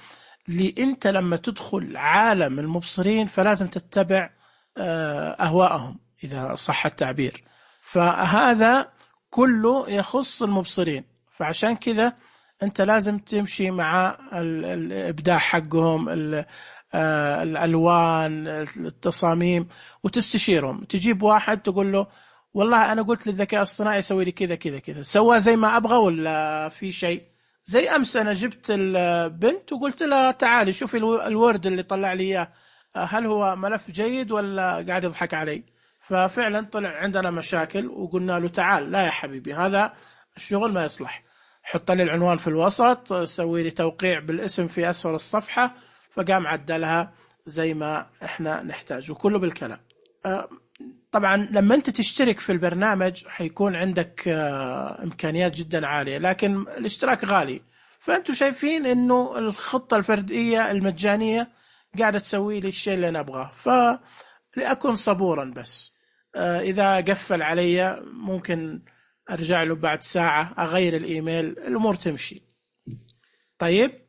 لي أنت لما تدخل عالم المبصرين فلازم تتبع أهواءهم إذا صح التعبير. فهذا كله يخص المبصرين، فعشان كذا أنت لازم تمشي مع الإبداع حقهم، الألوان، التصاميم، وتستشيرهم. تجيب واحد تقول له والله أنا قلت للذكاء الصناعي يسوي لي كذا كذا كذا، سوى زي ما أبغى ولا في شيء. زي أمس أنا جبت البنت وقلت لها تعالي شوفي الورد اللي طلع لي إياه، هل هو ملف جيد ولا قاعد يضحك علي؟ ففعلا طلع عندنا مشاكل وقلنا له تعال لا يا حبيبي هذا الشغل ما يصلح، حط لي العنوان في الوسط، سوي لي توقيع بالاسم في أسفل الصفحة. فقام عدلها زي ما احنا نحتاج وكله بالكلام. طبعا لما انت تشترك في البرنامج حيكون عندك امكانيات جدا عالية، لكن الاشتراك غالي. فانتوا شايفين انه الخطة الفردية المجانية قاعدة تسوي لي الشيء اللي انا ابغاه، فلأكون صبورا. بس اذا قفل علي ممكن ارجع له بعد ساعة، اغير الايميل، الامور تمشي. طيب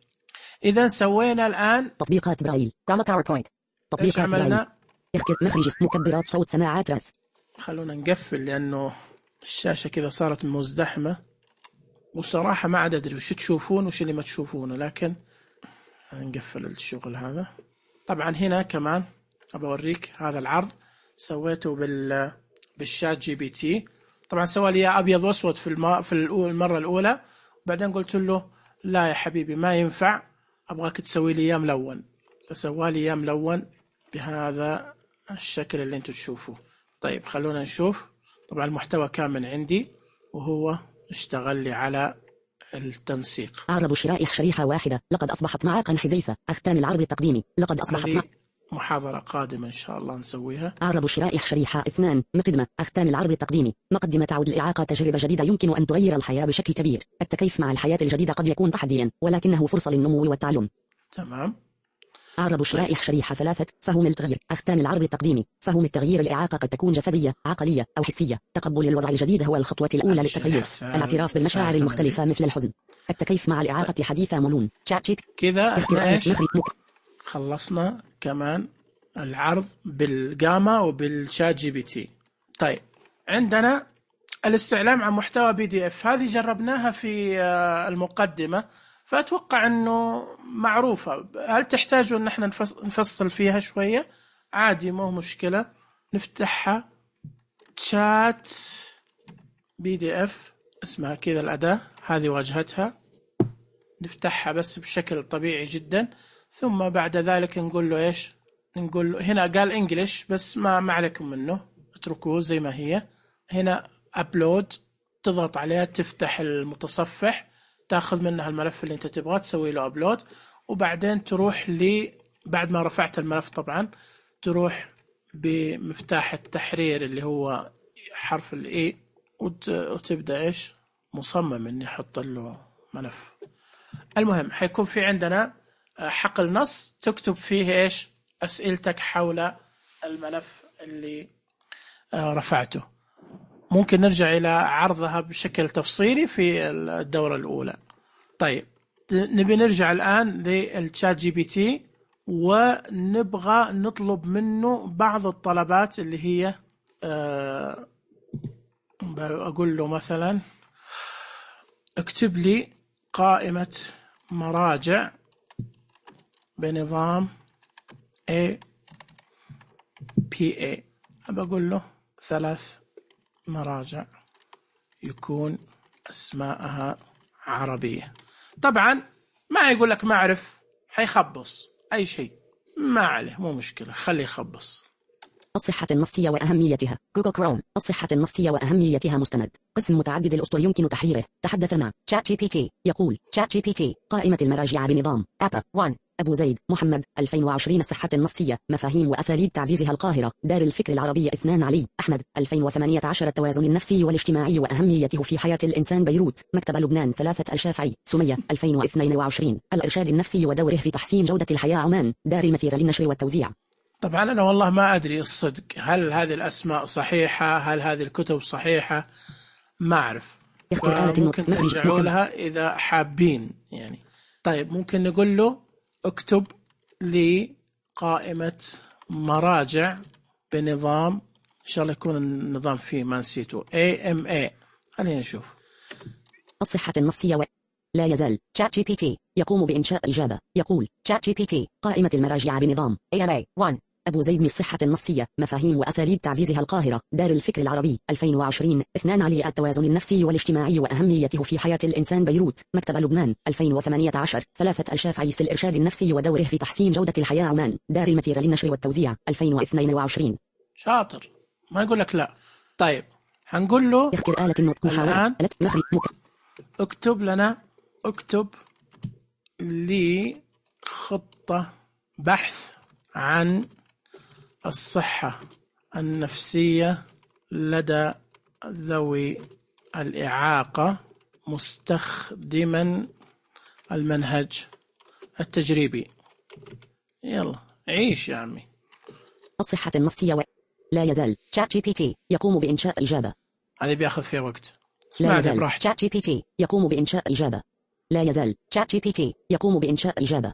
اذا سوينا الان تطبيقات برايل كما باوربوينت. تطبيقات برايل. اختر مخرج مكبرات صوت سماعات راس. خلونا نقفل لانه الشاشة كذا صارت مزدحمة، وصراحة ما عاد ادري وش تشوفون وش اللي ما تشوفونه، لكن نقفل الشغل هذا. طبعا هنا كمان ابى اوريك هذا العرض سويته بال بالشات جي بي تي. طبعا سوى لي ابيض واسود في الم... في المره الاولى، وبعدين قلت له لا يا حبيبي ما ينفع، أبغاك تسوي لي إياه ملون، فسوى لي إياه ملون بهذا الشكل اللي أنتم تشوفوه. طيب خلونا نشوف. طبعا المحتوى كامل عندي، وهو اشتغل لي على التنسيق. أعرب شرائح شريحة واحدة، لقد أصبحت معاقا حذيفة. أختام العرض التقديمي، لقد أصبحت مع... محاضرة قادمة إن شاء الله نسويها. أعرب شرائح شريحة اثنان، مقدمة. أختام العرض التقديمي، مقدمة. تعود الإعاقة تجربة جديدة يمكن أن تغير الحياة بشكل كبير. التكيف مع الحياة الجديدة قد يكون تحديا، ولكنه فرصة للنمو والتعلم. تمام. أعرب شرائح شريحة ثلاثة، فهم التغيير. أختام العرض التقديمي، فهم التغيير. الإعاقة قد تكون جسدية، عقلية أو حسية. تقبل الوضع الجديد هو الخطوة الأولى للتغيير. الاعتراف بالمشاعر المختلفة مثل الحزن. التكيف مع الإعاقة حديثة ملون. تشات جي بي تي كذا احنا ايش خلصنا كمان العرض بالجاما وبالشات جي بي تي. طيب عندنا الاستعلام عن محتوى بي دي اف، هذه جربناها في المقدمة، فأتوقع أنه معروفة. هل تحتاجوا أن احنا نفصل فيها شوية؟ عادي، مو مشكلة. نفتحها شات بي دي اف، اسمها كذا الأداة، هذه واجهتها. نفتحها بس بشكل طبيعي جدا، ثم بعد ذلك نقول له إيش؟ نقول له هنا قال إنجليش بس ما ما عليكم منه، اتركوه زي ما هي. هنا أبلود، تضغط عليها تفتح المتصفح، تاخذ منها الملف اللي انت تبغاه، تسوي له أبلود، وبعدين تروح لي بعد ما رفعت الملف طبعا تروح بمفتاح التحرير اللي هو حرف الإي، وتبدأ إيش؟ مصمم إني أحط له ملف. المهم حيكون في عندنا حقل نص تكتب فيه إيش؟ أسئلتك حول الملف اللي رفعته. ممكن نرجع إلى عرضها بشكل تفصيلي في الدورة الأولى. طيب نبي نرجع الآن للشات جي بي تي، ونبغى نطلب منه بعض الطلبات اللي هي أه أقول له مثلا اكتب لي قائمة مراجع بنظام A P A. أبى أقول له ثلاث مراجع يكون أسماءها عربية. طبعا ما يقول لك ما أعرف، حيخبص أي شيء، ما عليه، مو مشكلة، خليه يخبص. الصحة النفسية وأهميتها. جوجل كروم. الصحة النفسية وأهميتها مستند. قسم متعدد الأسطر يمكن تحريره. تحدث مع شات جي بي تي. يقول شات جي بي تي قائمة المراجع بنظام أبا واحد. أبو زيد محمد ألفين وعشرين. الصحة النفسية، مفاهيم وأساليب تعزيزها. القاهرة، دار الفكر العربية. اثنان علي أحمد ألفين وثمانية عشر. التوازن النفسي والاجتماعي وأهميته في حياة الإنسان. بيروت، مكتبة لبنان. ثلاثة الشافعي سمية ألفين واثنين وعشرين. الإرشاد النفسي ودوره في تحسين جودة الحياة. عمان، دار المسيرة للنشر والتوزيع. طبعا أنا والله ما أدري الصدق، هل هذه الأسماء صحيحة؟ هل هذه الكتب صحيحة؟ ما أعرف، ممكن ترجعوا لها إذا حابين يعني. طيب ممكن نقول له اكتب لي قائمة مراجع بنظام، إن شاء الله يكون النظام فيه ما نسيته إيه إم إيه. خلينا نشوف. الصحة النفسية و... لا يزال شات جي بي تي يقوم بإنشاء إجابة. يقول شات جي بي تي قائمة المراجع بنظام إيه إم إيه واحد. أبو زيد من الصحة النفسية، مفاهيم وأساليب تعزيزها. القاهرة، دار الفكر العربي. ألفين وعشرين. اثنان علي التوازن النفسي والاجتماعي وأهميته في حياة الإنسان. بيروت، مكتبة لبنان. ألفين وثمانية عشر. ثلاثة الشافعي الإرشاد النفسي ودوره في تحسين جودة الحياة. عمان، دار المسيرة للنشر والتوزيع. ألفين واثنين وعشرين. شاطر، ما يقول لك لا. طيب هنقول له اختر آلة النطق. محاولة مخرج مك... اكتب لنا اكتب لي خطة بحث عن الصحة النفسية لدى ذوي الإعاقة مستخدما المنهج التجريبي. يلا عيش يا عمي. الصحة النفسية و... لا يزال شات جي بي تي يقوم بإنشاء إجابة. هذه بياخذ فيها وقت. لا يزال شات جي بي تي يقوم بإنشاء إجابة. لا يزال شات جي بي تي يقوم بإنشاء إجابة.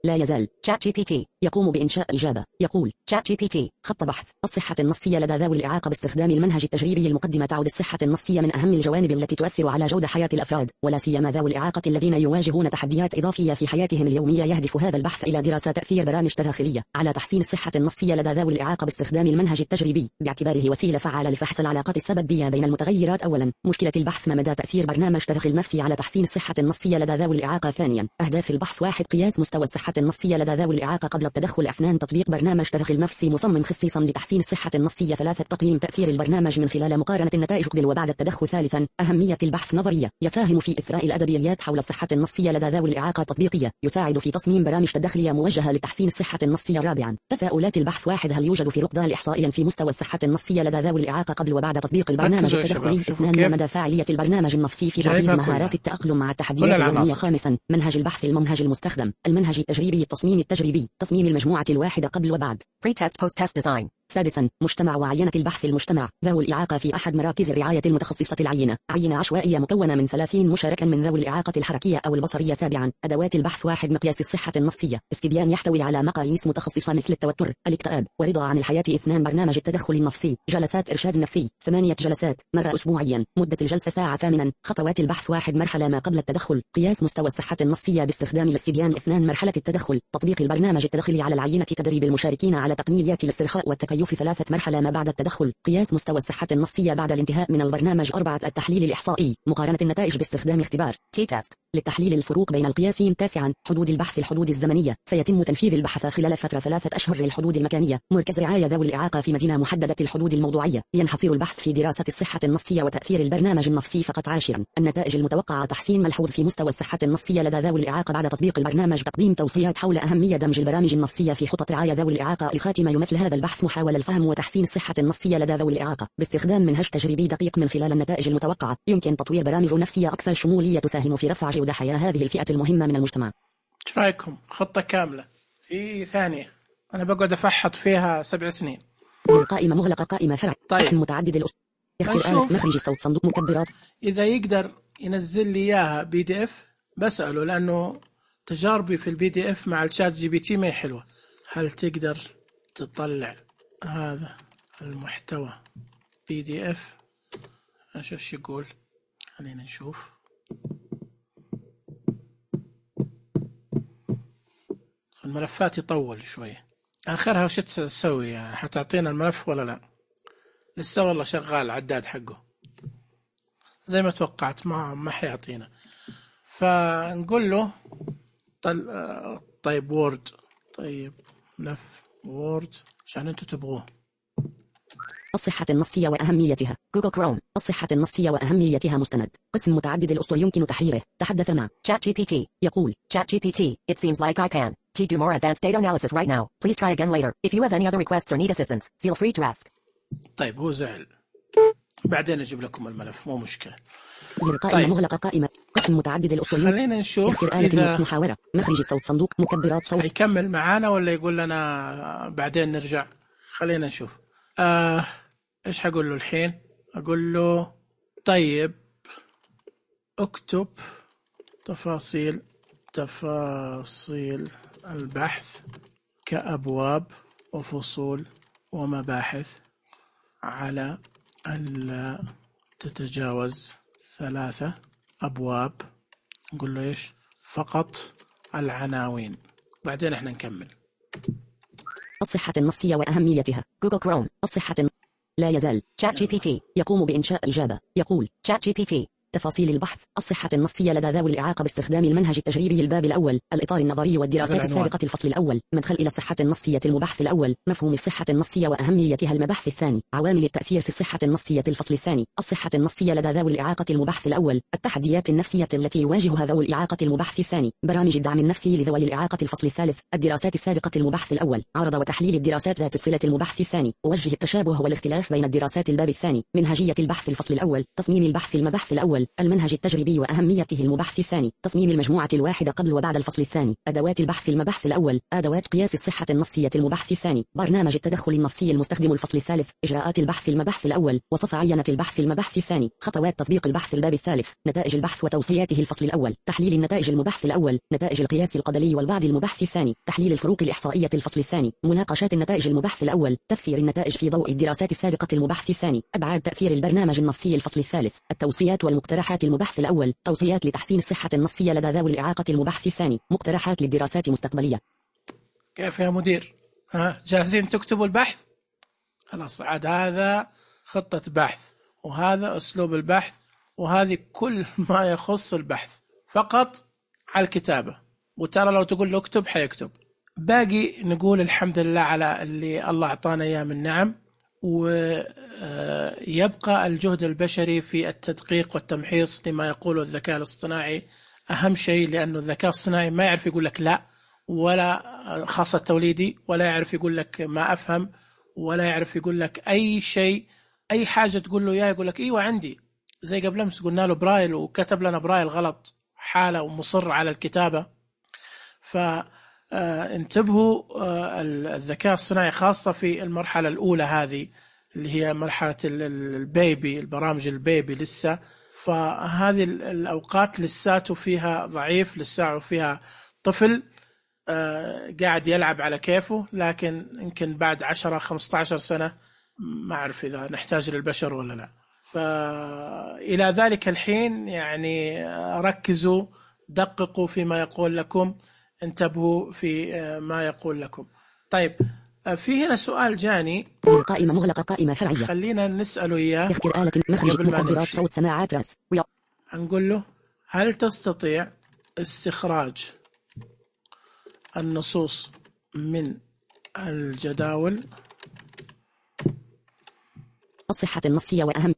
لا يزال تشات جي بي تي يقوم بإنشاء إجابة. يقول تشات جي بي تي خط بحث: الصحة النفسية لدى ذوي الإعاقة باستخدام المنهج التجريبي. المقدمة تعد الصحة النفسية من أهم الجوانب التي تؤثر على جودة حياة الأفراد، ولا سيما ذوي الإعاقة الذين يواجهون تحديات إضافية في حياتهم اليومية. يهدف هذا البحث إلى دراسة تأثير برامج تداخلية على تحسين الصحة النفسية لدى ذوي الإعاقة باستخدام المنهج التجريبي، باعتباره وسيلة فعالة لفحص العلاقات السببية بين المتغيرات. أولا، مشكلة البحث: ما مدى تأثير برنامج تدخل نفسي على تحسين الصحة النفسية لدى ذوي الإعاقة؟ ثانيا، أهداف البحث: واحد، قياس مستوى الصحة النفسية لدى ذوي الإعاقة قبل التدخل. اثنان، تطبيق برنامج تدخل نفسي مصمم خصيصا لتحسين الصحة النفسية. ثلاثة، تقييم تأثير البرنامج من خلال مقارنة النتائج قبل وبعد التدخل. ثالثا، أهمية البحث نظرية: يساهم في إثراء الأدبيات حول الصحة النفسية لدى ذوي الإعاقة. تطبيقية: يساعد في تصميم برامج تدخلية موجهة لتحسين الصحة النفسية. رابعا، تساؤلات البحث: واحد، هل يوجد فروق إحصائيا في مستوى الصحة النفسية لدى ذوي الإعاقة قبل وبعد تطبيق البرنامج التدخلي؟ اثنان، ما مدى فاعلية البرنامج النفسي في تعزيز مهارات التأقلم مع التحديات اليومية؟ خامسا، منهج البحث: المنهج المستخدم، المنهج التجريبي، التصميم التجريبي، تصميم المجموعة الواحدة قبل وبعد، pre-test post-test design. سادسا، مجتمع وعينة البحث: المجتمع ذوي الإعاقة في أحد مراكز الرعاية المتخصصة. العينة: عينة عشوائية مكونة من ثلاثين مشاركا من ذوي الإعاقة الحركية أو البصرية. سابعا، أدوات البحث: واحد، مقياس الصحة النفسية، استبيان يحتوي على مقاييس متخصصة مثل التوتر، الاكتئاب، ورضا عن الحياة. اثنان، برنامج التدخل النفسي، جلسات إرشاد نفسي، ثمانية جلسات مرة أسبوعيا، مدة الجلسة ساعة. ثامنا، خطوات البحث: واحد، مرحلة ما قبل التدخل، قياس مستوى الصحة النفسية باستخدام الاستبيان. اثنان، مرحلة التدخل، تطبيق البرنامج التدخلي على العينة، تدريب المشاركين على تقنيات الاسترخاء والتكيف. ثلاثة، مرحلة ما بعد التدخل، قياس مستوى الصحة النفسية بعد الانتهاء من البرنامج. أربعة، التحليل الإحصائي، مقارنة النتائج باستخدام اختبار تي تيست للتحليل الفروق بين القياسين. تاسعا، حدود البحث: الحدود الزمنية، سيتم تنفيذ البحث خلال فترة ثلاثة أشهر. للحدود المكانية: مركز رعاية ذوي الإعاقة في مدينة محددة. الحدود الموضوعية: ينحصر البحث في دراسة الصحة النفسية وتأثير البرنامج النفسي فقط. عاشرا، النتائج المتوقعة: تحسين ملحوظ في مستوى الصحة النفسية لدى ذوي الإعاقة بعد تطبيق البرنامج. تقديم توصيات حول أهمية دمج البرامج النفسية في خطط رعاية ذوي الإعاقة. الخاتمة: يمثل هذا البحث محاولة الفهم وتحسين الصحة النفسية لدى ذوي الإعاقة باستخدام منهج تجريبي دقيق. من خلال النتائج المتوقعة يمكن تطوير برامج نفسية أكثر شمولية تساهم في رفع جودة حياة هذه الفئة المهمة من المجتمع. ايش رايكم؟ خطة كاملة في ثانية، أنا بقعد أفحط فيها سبع سنين. زر قائمة مغلقة، قائمة فرع، طيب. اسم متعدد الأسر، يختار آلة مخرج الصوت، صندوق مكبرات. إذا يقدر ينزل لي إياها بي دي إف بسأله، لأنه تجاربي في البي دي إف مع الشات جي بي تي ما هي حلوة. هل تقدر تطلع هذا المحتوى بي دي إف؟ نشوف شو يقول، خلينا نشوف. الملفات يطول شوية، آخرها وش تسوي يعني؟ حتعطينا الملف ولا لا؟ لسه والله شغال العداد حقه زي ما توقعت، ما ما حيعطينا. فنقول له طل... طيب وورد، طيب ملف وورد عشان انتوا تبغوه. الصحة النفسية وأهميتها، جوجل كروم. الصحة النفسية وأهميتها مستند، قسم متعدد الأسطر يمكن تحريره. تحدث مع تشات جي بي تي. يقول تشات جي بي تي: It seems like I can to do more advanced data analysis right now. Please try again later. If you have any other requests or need assistance, feel free to ask. طيب هو زعل، بعدين أجيب لكم الملف مو مشكلة. زر قائمة طيب. مغلقة، قائمة قسم متعدد الأسطر. خلينا نشوف إذا محاورة، مخرج الصوت، صندوق مكبرات صوت. هيكمل معانا ولا يقول لنا بعدين نرجع؟ خلينا نشوف. آه إيش حقول له الحين؟ أقول له طيب اكتب تفاصيل تفاصيل البحث كأبواب وفصول ومباحث على ألا تتجاوز ثلاثة أبواب. نقول له إيش؟ فقط العناوين، بعدين إحنا نكمل. الصحة النفسية وأهميتها، جوجل كروم. الصحة الن... لا يزال تشات جي بي تي يقوم بإنشاء إجابة. يقول تشات جي بي تي: تفاصيل البحث: الصحة النفسية لدى ذوي الإعاقة باستخدام المنهج التجريبي. الباب الأول، الإطار النظري والدراسات السابقة. الفصل الأول، مدخل إلى الصحة النفسية. المبحث الأول، مفهوم الصحة النفسية وأهميتها. المبحث الثاني، عوامل التأثير في الصحة النفسية. الفصل الثاني، الصحة النفسية لدى ذوي الإعاقة. المبحث الأول، التحديات النفسية التي يواجهها ذوي الإعاقة. المبحث الثاني، برامج الدعم النفسي لذوي الإعاقة. الفصل الثالث، الدراسات السابقة. المبحث الأول، عرض وتحليل الدراسات ذات الصلة. المبحث الثاني، وجه التشابه والاختلاف بين الدراسات. الباب الثاني، منهجية البحث. الفصل الأول، تصميم البحث. المبحث الأول، الأول المنهج التجريبي وأهميته. المبحث الثاني تصميم المجموعة الواحدة قبل وبعد الفصل الثاني. أدوات البحث. المبحث الأول أدوات قياس الصحة النفسية. المبحث الثاني برنامج التدخل النفسي المستخدم. الفصل الثالث إجراءات البحث. المبحث الأول وصف عينة البحث. المبحث الثاني خطوات تطبيق البحث. الباب الثالث نتائج البحث وتوصياته. الفصل الأول تحليل النتائج. المبحث الأول نتائج القياس القبلي والبعد. المبحث الثاني تحليل الفروق الإحصائية. الفصل الثاني مناقشات النتائج. المبحث الأول تفسير النتائج في ضوء الدراسات السابقة. المبحث الثاني أبعاد تأثير البرنامج النفسي. الفصل الثالث التوصيات والمقترحات. المبحث الأول توصيات لتحسين الصحة النفسية لدى ذوي الإعاقة. المبحث الثاني مقترحات للدراسات المستقبلية. كيف يا مدير؟ ها جاهزين تكتبوا البحث؟ خلاص، عاد هذا خطة بحث، وهذا أسلوب البحث، وهذه كل ما يخص البحث فقط على الكتابة. وترى لو تقول له اكتب حيكتب. باقي نقول الحمد لله على اللي الله أعطانا إياه من نعم، ويبقى الجهد البشري في التدقيق والتمحيص لما يقوله الذكاء الاصطناعي أهم شيء، لأنه الذكاء الاصطناعي ما يعرف يقول لك لا، ولا خاصة توليدي، ولا يعرف يقول لك ما أفهم، ولا يعرف يقول لك أي شيء. أي حاجة تقول له يا يقول لك إيوه عندي. زي قبل أمس قلنا له برايل وكتب لنا برايل غلط حالة ومصر على الكتابة. فانتبهوا الذكاء الصناعي خاصة في المرحلة الأولى هذه اللي هي مرحلة البيبي، البرامج البيبي لسه، فهذه الأوقات لساته فيها ضعيف، لساته فيها طفل قاعد يلعب على كيفه. لكن يمكن بعد عشرة خمسة عشر سنة ما أعرف إذا نحتاج للبشر ولا لا. فإلى ذلك الحين يعني ركزوا، دققوا فيما يقول لكم، انتبهوا في ما يقول لكم. طيب، في هنا سؤال جاني. قائمة مغلقة، قائمة فرعية. خلينا نسأله إياه. اختر آلة مخرج مكبرات صوت سماعات راس. هنقول له هل تستطيع استخراج النصوص من الجداول؟ الصحة النفسية وأهم.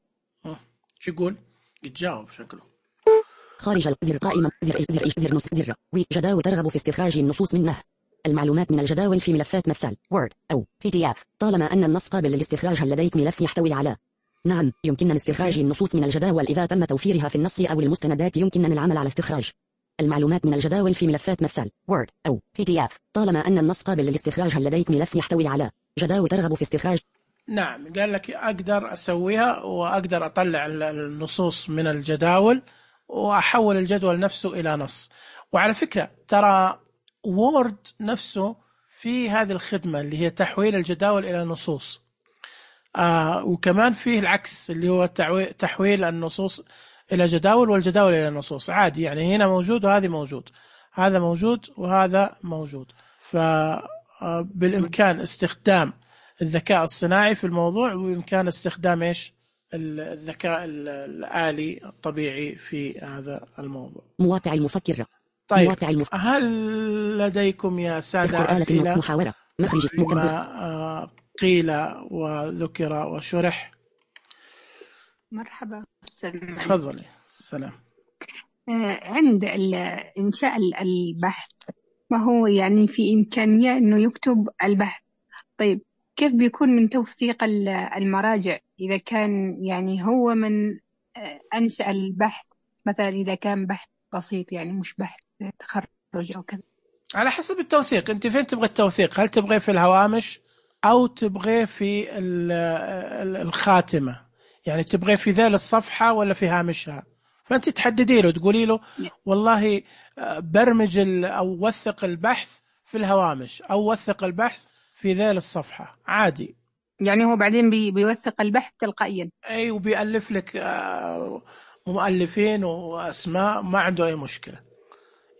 شو يقول؟ يتجاوب شكله. خارج زر قائمة زر زر زر نص زر وي جداول ترغب في استخراج النصوص منه. المعلومات من الجداول في ملفات مثال وورد أو بي دي إف. طالما أن النص قابل للاستخراج، هل لديك ملف يحتوي على؟ نعم، يمكننا استخراج النصوص من الجداول إذا تم توفيرها في النص أو المستندات. يمكننا العمل على استخراج المعلومات من الجداول في ملفات مثال وورد أو بي دي إف. طالما أن النص قابل للاستخراج، هل لديك ملف يحتوي على جداول ترغب في استخراج؟ نعم، قال لك أقدر أسويها، وأقدر أطلع النصوص من الجداول وأحول الجدول نفسه إلى نص. وعلى فكرة ترى وورد نفسه في هذه الخدمة اللي هي تحويل الجداول إلى نصوص. آه وكمان فيه العكس اللي هو تحويل النصوص إلى جداول والجداول إلى نصوص عادي. يعني هنا موجود وهذه موجود، هذا موجود وهذا موجود. فبالإمكان استخدام الذكاء الصناعي في الموضوع، وبإمكان استخدام إيش الذكاء الآلي الطبيعي في هذا الموضوع. مواقع المفكرة. طيب، مواقع المف... هل لديكم يا سادة أسئلة محاورة مخرج ما قيل وذكر وشرح؟ مرحبا أستاذ. تفضلي. السلام. عند إنشاء البحث، ما هو يعني في إمكانية إنه يكتب البحث. طيب، كيف بيكون من توثيق المراجع إذا كان يعني هو من أنشأ البحث؟ مثلا إذا كان بحث بسيط، يعني مش بحث تخرج أو كذا. على حسب التوثيق. أنت فين تبغى التوثيق؟ هل تبغى في الهوامش أو تبغى في الخاتمة؟ يعني تبغى في ذيل الصفحة ولا في هامشها؟ فأنت تحددي له، تقولي له والله برمج أو وثق البحث في الهوامش، أو وثق البحث في ذيل الصفحة عادي. يعني هو بعدين بي بيوثق البحث تلقائيا. أي، وبيألف لك مؤلفين وأسماء، ما عنده أي مشكلة.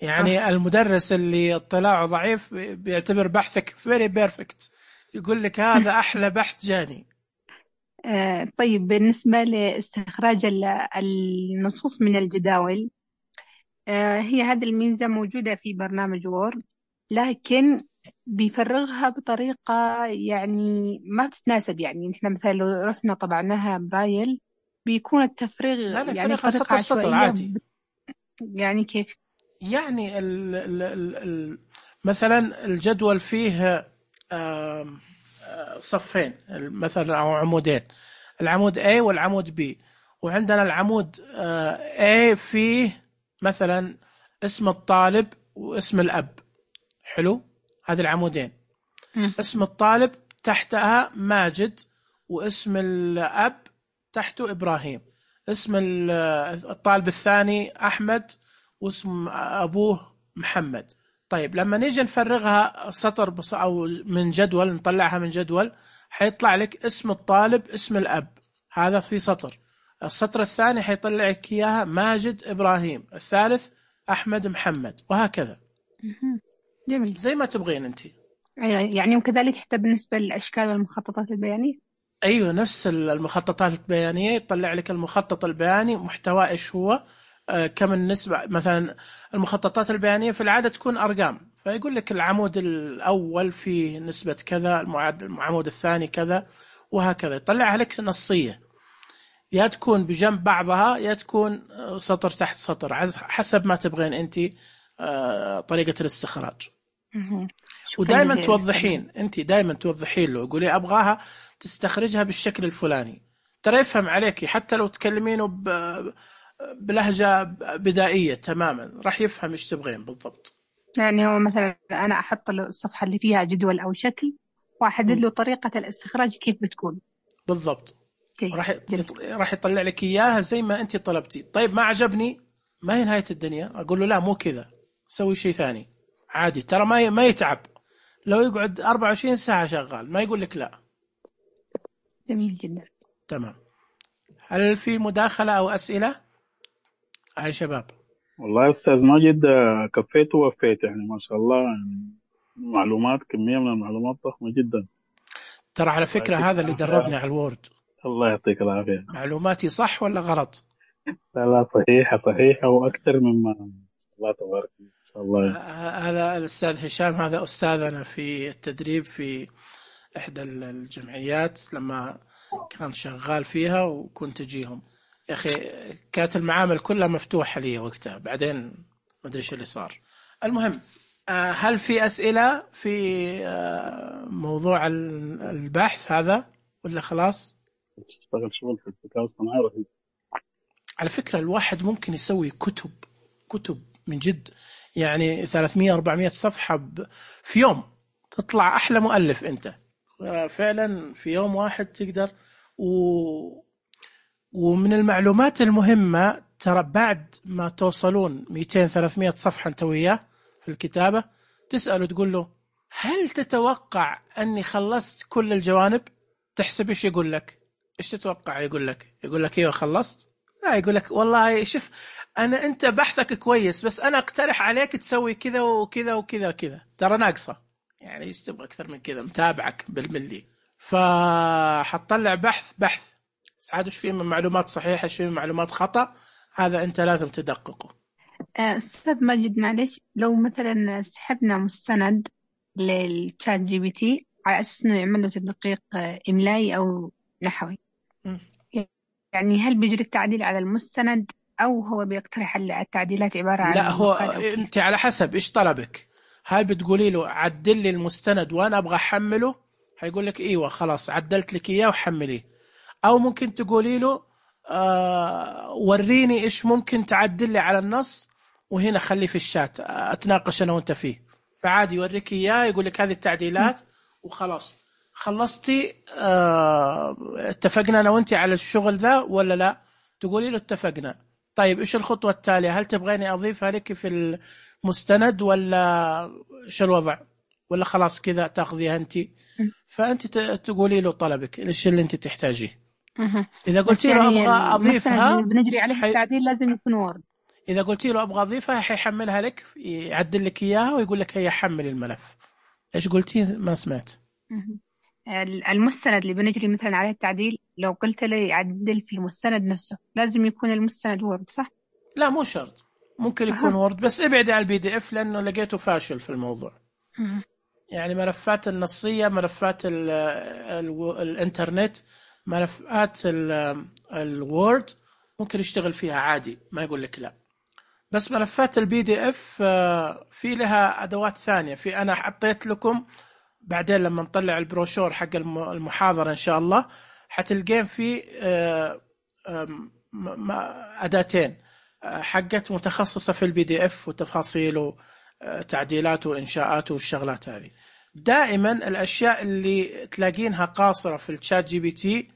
يعني آه. المدرس اللي اطلاعه ضعيف بيعتبر بحثك very perfect، يقول لك هذا أحلى بحث جاني. آه طيب، بالنسبة لاستخراج النصوص من الجداول، آه هي هذه الميزة موجودة في برنامج وورد، لكن بيفرغها بطريقة يعني ما بتتناسب. يعني نحن مثلا لو رحنا طبعناها برايل بيكون التفريغ لا لا يعني سطر سطر عادي. يعني كيف؟ يعني ال ال ال ال مثلا الجدول فيه صفين مثلا أو عمودين، العمود A والعمود B، وعندنا العمود A فيه مثلا اسم الطالب واسم الأب. حلو، هذه العمودين. م. اسم الطالب تحتها ماجد، واسم الأب تحته إبراهيم. اسم الطالب الثاني أحمد، واسم أبوه محمد. طيب لما نيجي نفرغها سطر بص أو من جدول، نطلعها من جدول، حيطلع لك اسم الطالب اسم الأب، هذا في سطر. السطر الثاني حيطلع لك إياها ماجد إبراهيم، الثالث أحمد محمد، وهكذا. جميل. زي ما تبغين أنت. يعني وكذلك حتى بالنسبة للأشكال والمخططات البيانية. أيوة، نفس المخططات البيانية يطلع لك المخطط البياني محتوى إيش هو، آه كم النسبة. مثلا المخططات البيانية في العادة تكون أرقام، فيقول لك العمود الأول فيه نسبة كذا، العمود الثاني كذا، وهكذا. يطلعها لك نصية، يا تكون بجنب بعضها يا تكون سطر تحت سطر، حسب ما تبغين أنت آه طريقة الاستخراج. ودائما توضحين أنت، دائما توضحين له، يقولي أبغاها تستخرجها بالشكل الفلاني، ترى يفهم عليكي. حتى لو تكلمينه بلهجة بدائية تماما راح يفهم إيش تبغين بالضبط. يعني هو مثلا أنا أحط له الصفحة اللي فيها جدول أو شكل، وأحدد له طريقة الاستخراج كيف بتكون بالضبط. راح راح يطلع لك إياها زي ما أنت طلبتي. طيب ما عجبني، ما هي نهاية الدنيا، أقول له لا مو كذا، سوي شيء ثاني عادي، ترى ما ما يتعب. لو يقعد أربعة وعشرين ساعة شغال ما يقول لك لا. جميل جدا. تمام. هل في مداخلة أو أسئلة يا شباب؟ والله يا أستاذ ماجد كفيت ووفيت، يعني ما شاء الله، يعني معلومات، كمية من المعلومات ضخمة جدا. ترى على فكرة هذا اللي دربني على الوورد. الله يعطيك العافية. معلوماتي صح ولا غلط؟ لا لا صحيحة صحيحة وأكثر مما الله تبارك إن شاء الله. هذا الأستاذ هشام، هذا أستاذنا في التدريب في إحدى الجمعيات لما كان شغال فيها، وكنت أجيهم. يا أخي كانت المعامل كلها مفتوحة لي وقتها، بعدين ما أدري إيش اللي صار. المهم، هل في أسئلة في موضوع البحث هذا ولا خلاص؟ اشتغل شغل في الذكاء الصناعي رهيب. على فكرة الواحد ممكن يسوي كتب كتب من جد، يعني ثلاثمية أربعمية صفحة في يوم، تطلع أحلى مؤلف أنت فعلا في يوم واحد تقدر. و... ومن المعلومات المهمة، ترى بعد ما توصلون مئتين ثلاثمية صفحة أنت وياه في الكتابة، تسأله تقول له هل تتوقع أني خلصت كل الجوانب؟ تحسب إيش يقول لك؟ إيش تتوقع يقول لك؟ يقول لك إيوه خلصت؟ لا، يقول لك والله شوف أنا أنت بحثك كويس، بس أنا أقترح عليك تسوي كذا وكذا وكذا وكذا، ترى ناقصة، يعني إيش تبغى أكثر من كذا، متابعك بالملي. فحطلع بحث بحث عاد إيش فيه من معلومات صحيحة، إيش فيه من معلومات خطأ، هذا أنت لازم تدققه. أستاذ ماجد معلش، لو مثلا سحبنا مستند للشات جي بي تي على أساس إنه يعمل له تدقيق إملائي أو نحوي، م. يعني هل بيجري التعديل على المستند أو هو بيقترح التعديلات عبارة عن لا هو أنت على حسب إيش طلبك. هل بتقولي له عدل لي المستند وأنا أبغى أحمله، هيقول لك إيوه خلاص عدلت لك إياه وحمليه. أو ممكن تقولي له آه وريني إيش ممكن تعدل لي على النص، وهنا خليه في الشات أتناقش أنا وأنت فيه، فعادي يوريك إياه يقول لك هذه التعديلات وخلاص خلصتي. آه اتفقنا أنا وأنت على الشغل ذا ولا لا؟ تقولي له اتفقنا. طيب إيش الخطوة التالية؟ هل تبغيني أضيفها لك في المستند ولا إيش الوضع، ولا خلاص كذا تأخذيها أنت؟ فأنت تقولي له طلبك إيش اللي أنت تحتاجيه. إذا قلتي له يعني أبغى أضيفها بنجري عليه حي... التعديل لازم يكون وورد. إذا قلتي له أبغى أضيفها حيحملها لك، يعدل لك إياها ويقول لك هي حمل الملف. إيش قلتي؟ ما سمعت. المستند اللي بنجري مثلا عليه التعديل، لو قلت له يعدل في المستند نفسه لازم يكون المستند وورد صح؟ لا مو شرط، ممكن يكون أه. وورد، بس ابعد عن البي دي اف لأنه لقيته فاشل في الموضوع. أه. يعني ملفات النصية، ملفات ال ال الانترنت، ملفات الوورد ممكن يشتغل فيها عادي، ما يقول لك لا. بس ملفات البي دي اف في لها أدوات ثانية. في أنا حطيت لكم بعدين لما نطلع البروشور حق المحاضرة إن شاء الله حتلقين في أداتين حقت متخصصة في البي دي اف وتفاصيل وتعديلات وإنشاءات والشغلات هذه. دائما الأشياء اللي تلاقينها قاصرة في الشات جي بي تي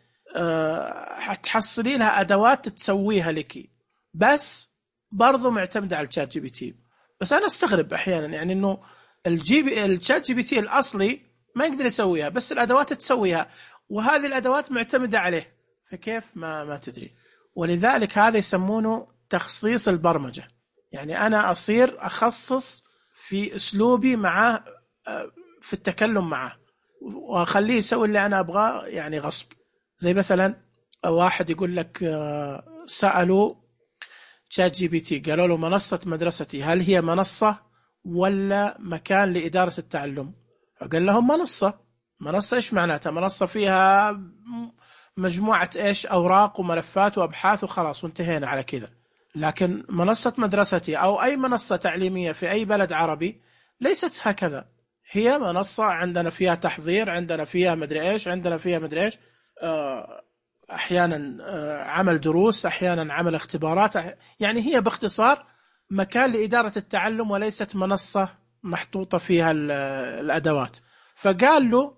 حتحصلي لها أدوات تسويها لك، بس برضو معتمدة على الشات جي بي تي. بس أنا استغرب أحيانا يعني إنه الجي بي الشات جي بي تي الأصلي ما يقدر يسويها، بس الأدوات تسويها، وهذه الأدوات معتمدة عليه، فكيف ما ما تدري. ولذلك هذا يسمونه تخصيص البرمجة، يعني أنا أصير أخصص في أسلوبي معه في التكلم معه، وأخليه يسوي اللي أنا أبغاه يعني غصب. زي مثلا واحد يقول لك سألوا شات جي بي تي قالوا له منصة مدرستي هل هي منصة ولا مكان لإدارة التعلم؟ قال لهم منصة. منصة إيش معناتها؟ منصة فيها مجموعة إيش أوراق وملفات وأبحاث وخلاص وانتهينا على كذا. لكن منصة مدرستي أو أي منصة تعليمية في أي بلد عربي ليست هكذا، هي منصة عندنا فيها تحضير، عندنا فيها مدري إيش، عندنا فيها مدري إيش، أحيانا عمل دروس، أحيانا عمل اختبارات، يعني هي باختصار مكان لإدارة التعلم وليست منصة محطوطة فيها الأدوات. فقال له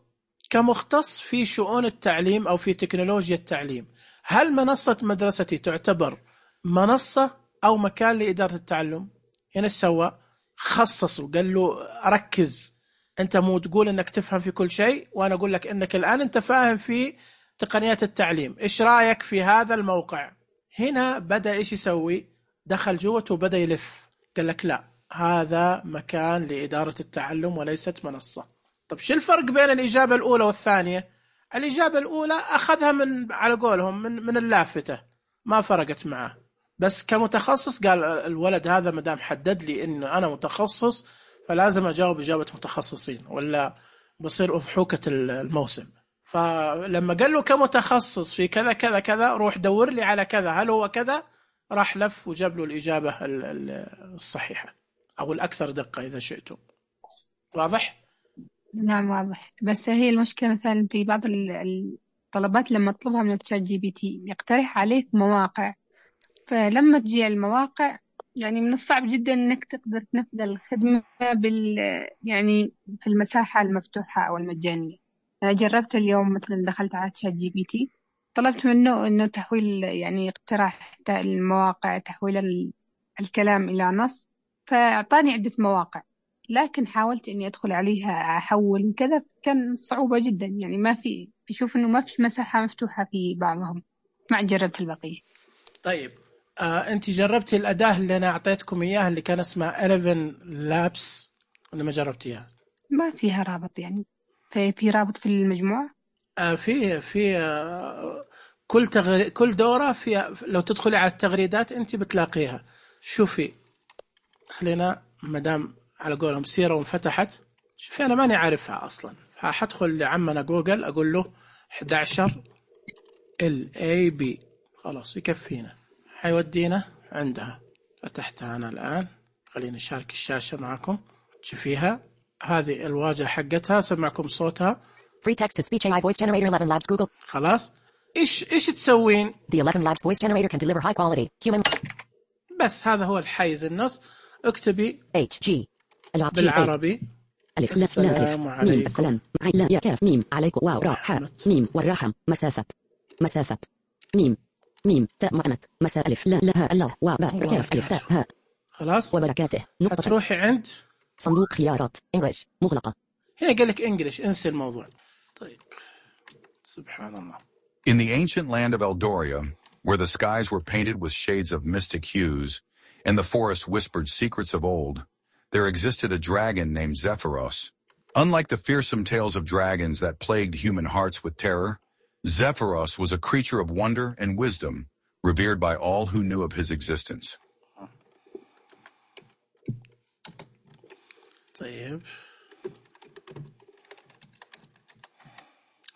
كمختص في شؤون التعليم أو في تكنولوجيا التعليم، هل منصة مدرستي تعتبر منصة أو مكان لإدارة التعلم؟ هنا سوى خصصه، قال له ركز، أنت مو تقول أنك تفهم في كل شيء، وأنا أقول لك أنك الآن أنت فاهم في تقنيات التعليم، إيش رأيك في هذا الموقع؟ هنا بدأ إيش يسوي؟ دخل جوته وبدأ يلف، قال لك لا، هذا مكان لإدارة التعلم وليست منصة. طب شو الفرق بين الإجابة الأولى والثانية؟ الإجابة الأولى أخذها من على قولهم من من اللافتة، ما فرقت معه، بس كمتخصص قال الولد هذا مدام حدد لي إنه أنا متخصص فلازم أجاوب إجابة متخصصين ولا بصير أضحوكة الموسم. فلما قال له كمتخصص في كذا كذا كذا روح دور لي على كذا هل هو كذا، راح لف وجاب له الإجابة الصحيحة أو الأكثر دقة إذا شئتم. واضح؟ نعم واضح. بس هي المشكلة مثلا في بعض الطلبات لما تطلبها من الشات جي بي تي يقترح عليك مواقع، فلما تجي المواقع يعني من الصعب جدا إنك تقدر تنفذ الخدمة بال يعني في المساحة المفتوحة أو المجانية. أنا جربت اليوم مثلا دخلت على شات جي بي تي طلبت منه إنه تحويل يعني اقتراح المواقع، تحويل الكلام إلى نص، فأعطاني عدة مواقع، لكن حاولت إني أدخل عليها أحول وكذا كان صعوبة جدا، يعني ما في بشوف إنه ما في مساحة مفتوحة في بعضهم، ما جربت البقية. طيب آه، أنت جربتي الأداة اللي أنا أعطيتكم إياها اللي كان اسمها إحداشر لابس ولا ما جربتيها؟ ما فيها رابط يعني، في في رابط في المجموعة؟ آه في في آه كل تغري... كل دورة فيها، لو تدخلي على التغريدات أنت بتلاقيها. شوفي خلينا مدام على قولهم سيرة وانفتحت، شوفي أنا ماني عارفها أصلا، فحدخل لعمنا جوجل أقول له إحدى عشر ال إيه بي خلاص يكفينا، حيودينا عندها. فتحتها أنا الآن، خليني أشارك الشاشة معكم تشوفيها، هذه الواجهة حقتها، سمعكم صوتها. Free text to speech إيه آي voice generator eleven labs Google. خلاص إيش إيش تسوين؟ The eleven labs voice generator can deliver high quality human. بس هذا هو الحيز النص. اكتبي H G بالعربي ألف لا لا ألف ميم السلام مع لا يا كاف ميم عليكم واو راء حاء ميم والرحم مسافة مسافة ميم ميم تاء معنت مساء ألف لا لا الله واو باء كاف ألف تاء هاء. خلاص وبركاته نقطة. تروحي عند صندوق خيارات إنجليش مغلقة. هنا قال لك إنجليش، انسى الموضوع. طيب سبحان الله. In the ancient land of Eldoria, where the skies were painted with shades of mystic hues, and the forest whispered secrets of old, there existed a dragon named Zephyros. Unlike the fearsome tales of dragons that plagued human hearts with terror, Zephyros was a creature of wonder and wisdom, revered by all who knew of his existence. طيب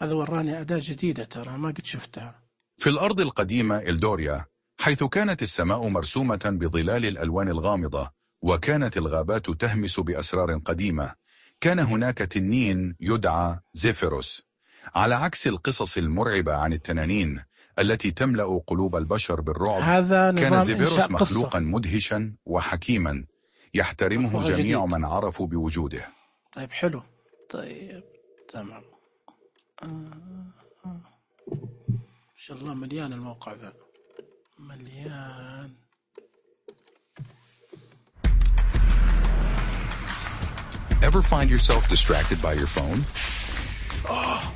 هذا وراني أداة جديدة ترى ما قد شفتها. في الأرض القديمة إلدوريا، حيث كانت السماء مرسومة بظلال الألوان الغامضة، وكانت الغابات تهمس بأسرار قديمة، كان هناك تنين يدعى زيفيروس. على عكس القصص المرعبة عن التنانين التي تملأ قلوب البشر بالرعب. هذا كان زيفيروس مخلوقا مدهشا وحكيما يحترمه جميع من عرفوا بوجوده. طيب حلو. طيب تمام. آه آه. إن شاء الله مليان الموقع ذا، مليان. Ever find yourself distracted by your phone?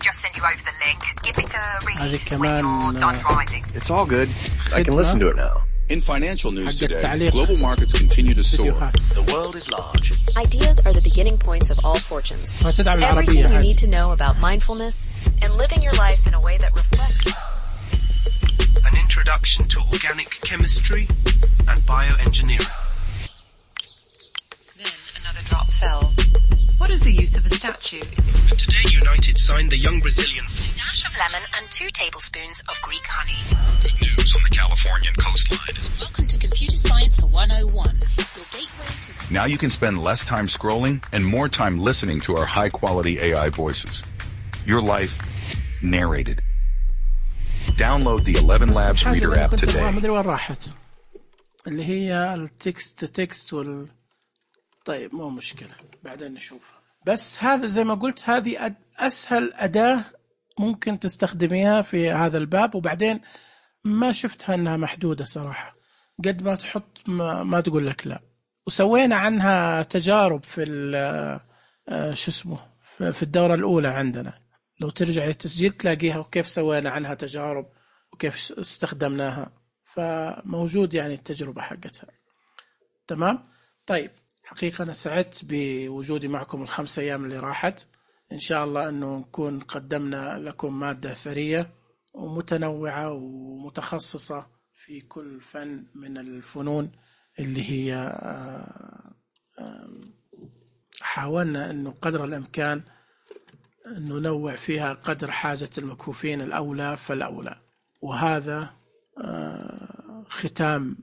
Just send you over the link. Give it a read هذه when كمان you're done driving. It's all good. I can listen to it now. In financial news حق today, التعليق. global markets continue to soar. فيديوهات. The world is large. Ideas are the beginning points of all fortunes. وتدعم Everything العربية you عادي. need to know about mindfulness and living your life in a way that reflects. An introduction to organic chemistry and bioengineering. Then another drop fell. What is the use of a statue? And today United signed the young Brazilian. A dash of lemon and two tablespoons of Greek honey. News on the Californian coastline is Welcome to Computer Science one oh one. Your gateway to the... now you can spend less time scrolling and more time listening to our high-quality A I voices. Your life narrated. Download the eleven Labs Reader app today. ما أدري وين راحت، اللي هي التكست تكست وال. طيب مو مشكلة، بعدين نشوفها. بس هذا زي ما قلت هذه أسهل أداة ممكن تستخدميها في هذا الباب، وبعدين ما شفتها أنها محدودة صراحة، قد ما تحط ما, ما تقول لك لا. وسوينا عنها تجارب في شو اسمه في الدورة الأولى عندنا، لو ترجع للتسجيل تلاقيها وكيف سوينا عنها تجارب وكيف استخدمناها، فموجود يعني التجربة حقتها. تمام. طيب حقيقة أنا سعدت بوجودي معكم الخمس أيام اللي راحت. إن شاء الله أنه نكون قدمنا لكم مادة ثرية ومتنوعة ومتخصصة في كل فن من الفنون اللي هي حاولنا أنه قدر الإمكان ننوع فيها قدر حاجة المكفوفين الأولى فالأولى. وهذا ختام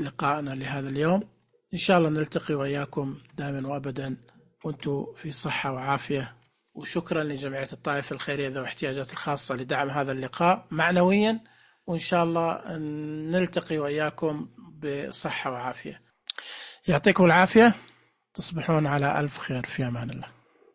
لقائنا لهذا اليوم. إن شاء الله نلتقي وإياكم دائما وأبدا وأنتم في صحة وعافية. وشكرا لجمعية الطائف الخيرية ذوي الاحتياجات الخاصة لدعم هذا اللقاء معنويا، وإن شاء الله نلتقي وإياكم بصحة وعافية. يعطيكم العافية، تصبحون على ألف خير، في أمان الله.